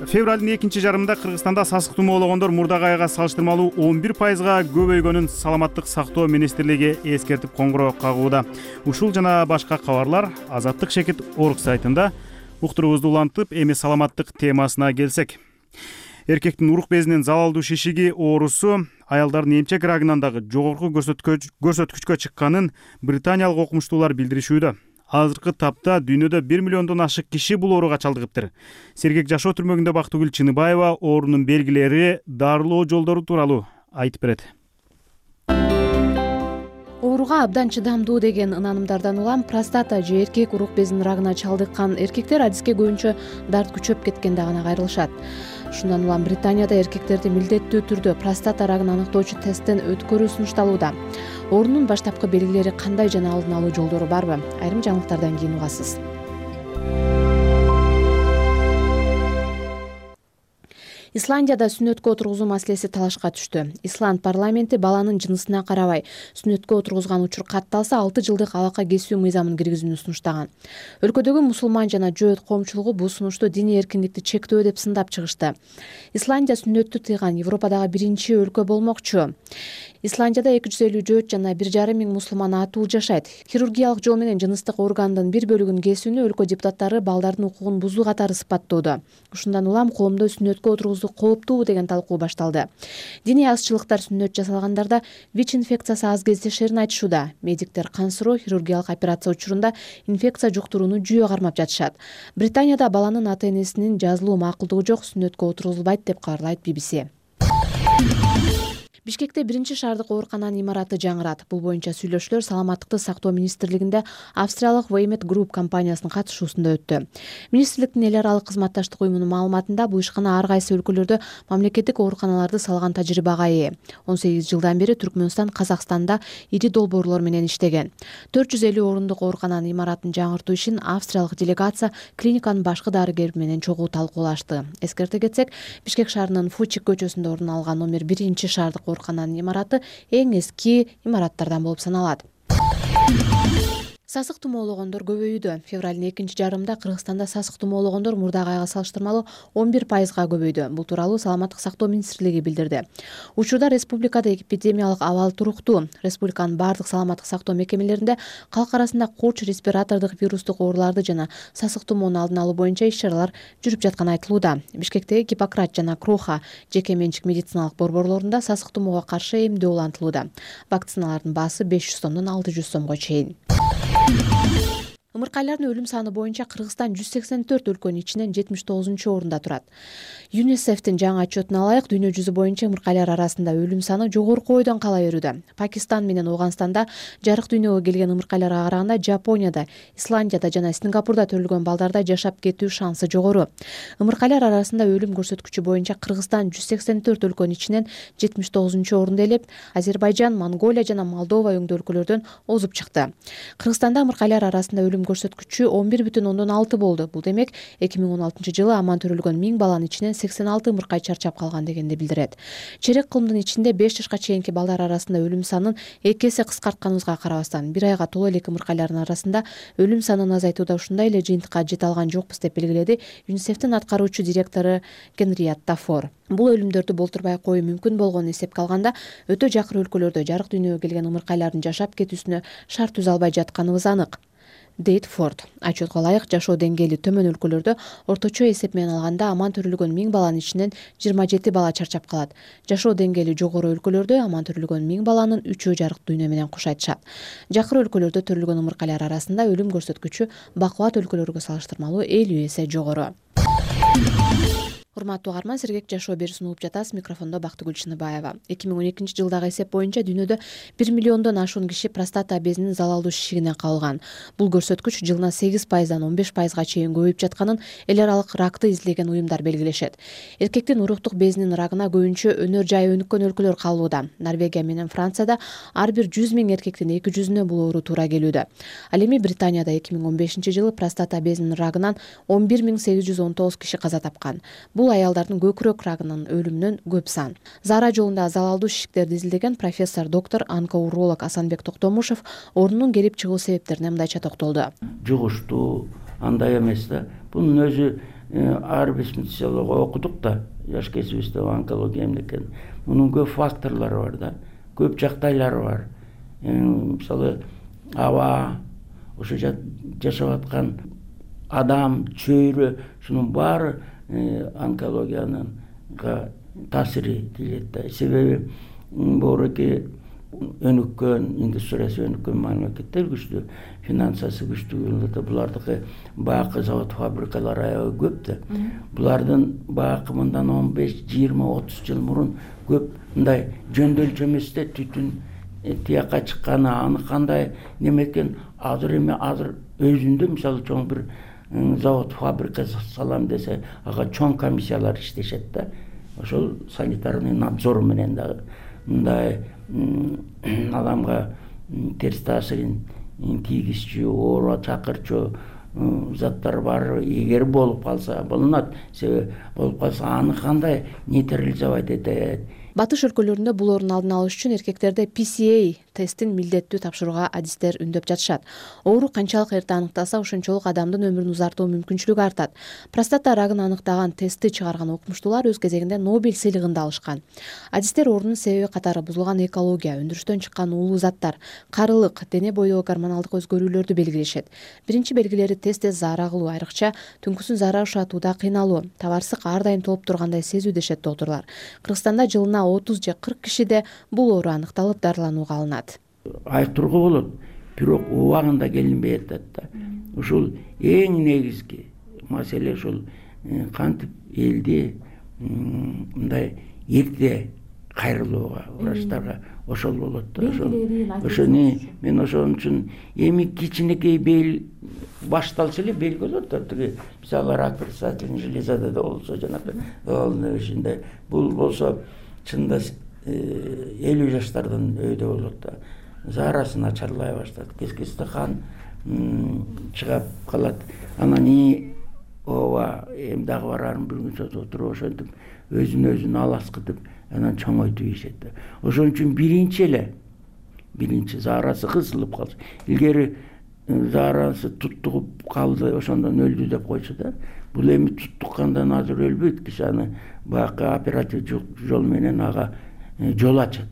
февралдын 2-жарымында Кыргызстанда сасык тумоологондор мурдагы айга салыштырмалуу 11%га көбөйгөнүн Саламаттык сактоо министрлиги эскертип коңгуроо кагууда. Ушул жана башка кабарлар Азаттык чекит орг сайтында Уктуруубузду улантып, эми саламаттык темасына келсек. Эркектин урук безинин залалдуу шишиги оорусу аялдардын эмчек рагынан дагы жогорку көрсөткүчкө чыкканын британиялык окумуштуулар билдиришүүдө. Азыркы тапта дүйнөдө 1 миллиондон ашык киши бул ооруга чалдыгыптыр. Сергек жашоо түрмөгүндө Бактыгүл Чыныбаева оорунун белгилери, дарылоо жолдору тууралуу айтып берет. Ооруга абдан чыдамдуу деген ынанымдардан улам простата же эркек урук безинин рагына чалдыккан эркектер адиске көбүнчө дарт күчөп кеткенде гана кайрылышат. Ушундан улам Британияда эркектерди милдеттүү түрдө простата рагын аныктоочу тесттен өткөрүү сунушталууда. Оорунун баштапкы белгилери кандай жана алдын алуу жолдору барбы? Айрым жаңылыктардан кийин угасыз. Исландияда сүннөткө отургузуу маселеси талашка түштү. Исланд парламенти баланын жынысына карабай сүннөткө отургузган учур катталса 6 жылдык алака кесүү мыйзамын киргизүүнү сунуштаган. Өлкөдөгү мусулман жана жөөт коомчулугу бул сунушту диний эркиндикти чектөө деп сындап чыгышты. Исландия сүннөттү тыйган Европадагы биринчи өлкө болмокчу. Исландияда 250 жөөт жана 1,5 миң мусулман атуу жашайт. Хирургиялык жол менен жыныстык органдын бир бөлүгүн кесүүнү өлкө депутаттары балдардын укугун бузуу катары сыпаттоодо. Ушундан улам коомдо сүннөткө отургузуу кооптуу деген талкуу башталды. Диний азчылыктар сүннөт жасалгандарда ВИЧ инфекциясы аз кездешерин айтышууда. Медиктер кан суроо хирургиялык операция учурунда инфекция жуктурууну жүйө кармап жатышат. Британияда баланын ата-энесинин жазылуу макулдугу жок, сүннөткө отургузулбайт деп кабарлайт BBC. Бишкекте биринчи шаардык оорукананын имараты жаңырат. Бул боюнча сүйлөшүүлөр саламаттыкты сактоо министрлигинде Австриялык Weimet Group компаниясынын катышуусунда өттү. Министрликтин эл аралык кызматташтык уюмунун маалыматында бул ишкана ар кайсы өлкөлөрдө мамлекеттик ооруканаларды салган тажрыйбага ээ. 18 жылдан бери Түркмөнстан, Казакстанда ири долбоорлор менен иштеген. 450 орундук оорукананын имаратын жаңыртуу ишин австриялык делегация клиниканын башкы дарыгери менен чогуу талкуулашты. Эскерте кетсек, Бишкек шаарынын Фучик көчөсүндө орун алган номер 1 шаардык оорукананын имараты эң эски имараттардан болуп саналат. Сасык тумоологондор көбөйүүдө. Февралдын 2 жарымында Кыргызстанда сасык тумоологондор мурдагы айга салыштырмалуу 11%га көбөйдү. Бул тууралуу Саламаттык сактоо министрлиги билдирди. Учурда республикада эпидемиялык абал туруктуу. Республиканын бардык саламаттык сактоо мекемелеринде калк арасында куч, респиратордук вирустук ооруларды жана сасык тумоону алдын алуу боюнча иш-чаралар жүрүп жатканы айтылууда. Бишкектеги Гиппократ жана Кроха жеке менчик медициналык борборлорунда сасык тумоого каршы эмдөө улантылууда. Вакциналардын баасы 500 сомдон 600 сомго чейин. Ымыркайлардын өлүм саны боюнча Кыргызстан 184 өлкөнүн ичинен 79-орунда турат. ЮНИСЕФтин жаңы отчетуна ылайык, дүйнө жүзү боюнча ымыркайлар арасында өлүм саны жогорку ойдон кала берүүдө. Пакистан менен Ооганстанда жарык дүйнөгө келген ымыркайларга караганда Жапонияда, Исландияда жана Сингапурда төрөлгөн балдарда жашап кетүү шансы жогору. Ымыркайлар арасында өлүм көрсөткүчү боюнча Кыргызстан 184 өлкөнүн ичинен 79-орунду ээлеп, Азербайжан, Монголия жана Молдова өңдүү өлкөлөрдөн озуп чыкты. Кыргызстанда ымыркайлар арасында өлүм көрсөткүчү 11,6 болду. Бул демек 2016-жылы аман төрөлгөн 1000 баланын ичинен 86 ымыркай чарчап калган дегенди билдирет. Черек кылымдын ичинде 5 жашка чейинки балдар арасында өлүм санын 2 эсе кыскартканыбызга карабастан, бир айга толо элек ымыркайлардын арасында өлүм санын азайтууда ушундай эле жыйынтыкка жете алган жокпуз деп белгиледи ЮНИСЕФтин аткаруучу директору Генриетта Фор. Бул өлүмдөрдү болтурбай коюу мүмкүн болгонун эсепке алганда, өтө жакыр өлкөлөрдө жарык дүйнөгө келген ымыркайлардын жашап кетүүсүнө шарт түзө албай жатканыбыз анык, дейт Форд. Отчетко ылайык, жашоо деңгээли төмөн өлкөлөрдө орточо эсеп менен алганда аман төрөлгөн 1000 баланын ичинен 27 бала чарчап калат. Жашоо деңгээли жогору өлкөлөрдө аман төрөлгөн 1000 баланын 3-өө жарык дүйнө менен кош айтышат. Жакыр өлкөлөрдө төрөлгөн ымыркайлар арасында өлүм көрсөткүчү бакубат өлкөлөргө салыштырмалуу 50 эсе жогору. Урматтуу угарман, Сергек жашоо берүүсүн угуп жатасыз. Микрофондо Бактыгүл Чыныбаева. 2012-жылдагы эсеп боюнча дүйнөдө 1 миллиондон ашуун киши простата безинин залалдуу шишигинен кабылган. Бул көрсөткүч жылына 8%дан 15%га чейин көбөйүп жатканын эл аралык ракты изилдеген уюмдар белгилешет. Эркектин уруктук безинин рагына көбүнчө өнөр жайы өнүккөн өлкөлөр кабылууда. Норвегия менен Францияда ар бир 100 000 эркектин 200-үнө бул оору туура келүүдө. Ал эми Британияда 2015-жылы простата безинин рагынан 11819 киши каза тапкан. Бул аялдардын көкүрөк рагынын өлүмүнөн көп сан. Зара жолунда залалдуу шишиктерди изилдеген профессор доктор онкоуролог Асанбек Токтомушев оорунун келип чыгуу себептерине мындайча токтолду. Жугуштуу, андай эмес да. Бунун өзү ар бир специалого окудук да, жаш кезибизде онкология эмне экен. Мунун көп факторлору бар да, көп жактайлары бар. Мисалы, аба, ошо жашап аткан адам, чөйрө, ушунун баары онкологиянынга таасири тийет да. Себеби бооруки өнүккөн, индустриясы өнүккөн мамлекеттер күчтүү, финансасы күчтүү, булардыкы баакы завод, фабрикалар аябай көп да. Булардын баакы мындан 15, 20, 30 жыл мурун көп мындай жөндөмчү эместе түтүн тияка чыкканы, аны кандай неме экен, азыр эми азыр өзүндө мисалы чоң бир завод, фабрика салам десе, ага чоң комиссиялар иштешет да. Ошол санитарный надзор менен дагы мындай адамга терс таасирин тийгизчү, оору чакырчу заттар бар. Эгер болуп калса, болунат. Себеби болуп калса аны кандай нейтрализовать этет. Батыш өлкөлөрүндө бул оорунун алдын алыш үчүн эркектерде PCA тестин милдеттүү тапшырууга адистер үндөп жатышат. Оору канчалык эрте аныкталса, ошончолук адамдын өмүрүн узартуу мүмкүнчүлүгү артат. Простата рагын аныктаган тестти чыгарган окумуштуулар өз кезегинде Нобель сыйлыгын да алышкан. Адистер оорунун себеби катары бузулган экология, өндүрүштөн чыккан уулуу заттар, карылык, дене бойдогу гормоналдык өзгөрүүлөрдү белгилешет. Биринчи белгилери тез заара кылуу, айрыкча түнкүсүн заара ушатууда кыйналуу, табарсык ар дайым толуп тургандай сезүү дешет доктурлар. Кыргызстанда жылына 30 же 40 кишиде бул оору аныкталып дарыланууга алынат. Айтурга болот, бирок убагында келинбей атат да. Ушул эң негизги маселе ушул кантип элди мындай эрте кайрылууга, врачтарга ошол болот да. Ошону мен ошон үчүн эми кичинекей бел башталса эле белги болот да. Тиги мисалы рак предстательный железада да болсо, жанагы ишинде бул болсо чында 50 жаштардан өйдө болот да. Заарасын начарлай баштайт, кез-кезде кан чыгап калат. Анан ооба эми дагы барарын бир күн отуруп ошентип өзүн аласкытып анан чоңойтуп ийишет да. Ошон үчүн биринчи заарасы кысылып калса, илгери заарасы туттугуп калды, ошондон өлдү деп койчу да. Бул эми туттуккандан азыр өлбөйт, киши аны баягы оперативдик жол менен ага жол ачат.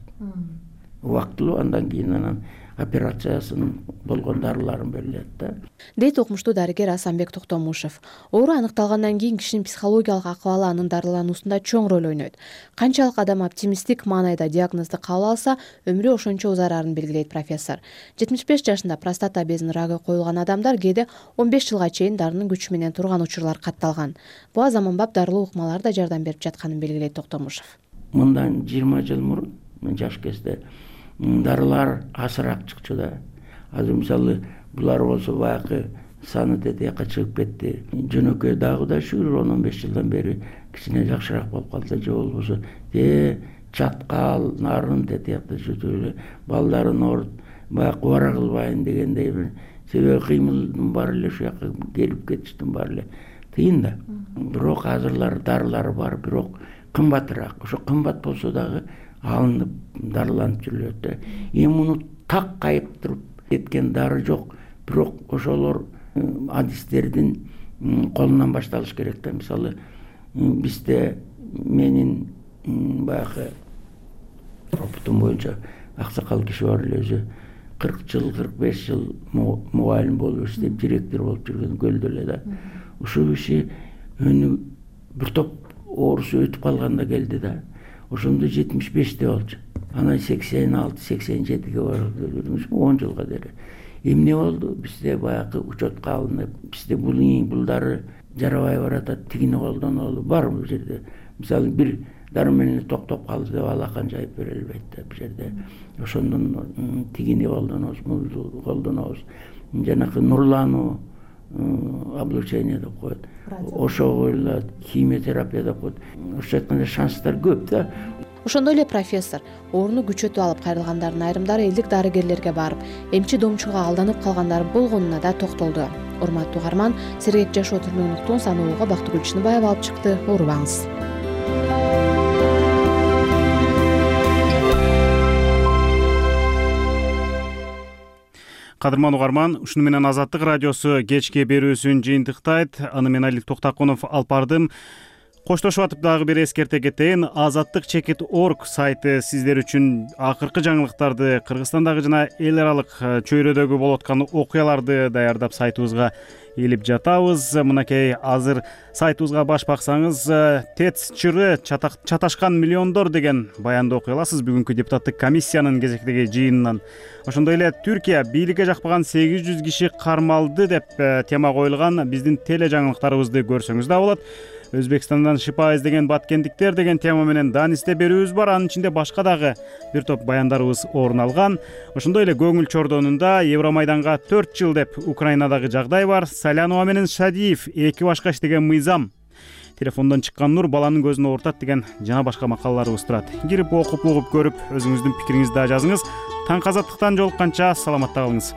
Убактылуу, андан кийин анан операциясын болгон дарыларын берилет да. Дейт окумуштуу дарыгер Асанбек Токтомушев. Оору аныкталгандан кийин кишинин психологиялык акыбалы анын дарылануусунда чоң роль ойнойт. Канчалык адам оптимисттик маанайда диагнозду кабыл алса, өмүрү ошончо узарарын белгилейт профессор. 75 жашында простата безинин рагы коюлган адамдар кээде 15 жылга чейин дарынын күчү менен турган учурлар катталган. Буга заманбап дарылуу ыкмалар да жардам берип жатканын белгилейт Токтомушев. Мындан 20 жыл мурун мен жаш кезде дарылар азыраак чыкчу да. Азыр мисалы булар болсо баягы саны тетияка чыгып кетти. Жөнөкөй дагы да шүгүр 10-15 жылдан бери кичине жакшыраак болуп калса, же болбосо чаткал, нарын тетиякта жүрүп балдарын ооруп баягы бара кылбайын дегендей бир себеби кыймылдын баары эле ушул жака келип кетиштин баары эле тыйын да. Бирок азырлар дарылары бар, бирок кымбатыраак. Ошо кымбат болсо дагы алынып дарыланып жүрүлөт да. Эми муну так кайыптырып кеткен дары жок, бирок ошолор адистердин колунан башталыш керек да. Мисалы бизде менин баягы опытым боюнча аксакал киши бар эле, өзү 40 жыл, 45 жыл мугалим болуп иштеп, директор болуп жүргөн Көлдө эле да. Ушул киши бир топ оорусу өтүп калганда келди да. Ошондо 75-те болчу. Анан 86-87-ге барып 10 жылга дери. Эмне болду? Бизде баягы учетко алынып, бизде бул дары жарабай баратат, тигини колдонолу бар бул жерде. Мисалы бир дары менен токтоп калды деп алакан жайып бере албайт да бул жерде. Ошондон тигини колдонобуз, мулду колдонобуз. Жанакы нурлануу облучение деп коет. Ошого эле химиотерапия деп коет. Ошо айтканда шанстар көп да. Ошондой эле профессор ооруну күчөтүп алып кайрылгандардын айрымдары элдик дарыгерлерге барып, эмчи-домчуга алданып калгандар болгонуна да токтолду. Урматтуу угарман, сергек жашоо түрүнүн уктуун саноого Бактыгүл Чыныбаева алып чыкты. Оорубаңыз. Кадырман угарман, ушуну менен Азаттык радиосу кечки берүүсүн жыйынтыктайт. Аны мен Алик Токтакунов алып бардым. Коштошуп атып дагы бир эскерте кетейин. Азаттык.org сайты сиздер үчүн акыркы жаңылыктарды, Кыргызстандагы жана эл аралык чөйрөдөгү болуп аткан окуяларды даярдап сайтыбызга илип жатабыз. Мынакей азыр сайтыбызга баш баксаңыз, ТЭЦ чыры чаташкан миллиондор деген баянды окуй аласыз бүгүнкү депутаттык комиссиянын кезектеги жыйынынан. Ошондой эле Түркия бийликке жакпаган 800 киши кармалды деп тема коюлган биздин теле жаңылыктарыбызды көрсөңүз да болот. Өзбекстандан шипа издеген баткендиктер деген тема менен дааnisте берүүбүз бар. Анын ичинде башка дагы бир топ баяндарыбыз орун алган. Ошондой эле көңүл чордонунда Евромайданга 4 жыл деп Украинадагы жагдай бар. Салянова менен Шадиев эки башка иштеген мыйзам. Телефондон чыккан нур баланын көзүнө ортат деген жана башка макалаларыбыз турат. Кирип окуп угуп көрүп өзүңүздүн пикириңизди да жазыңыз. Таң азаттыктан жолукканча саламатта калыңыз.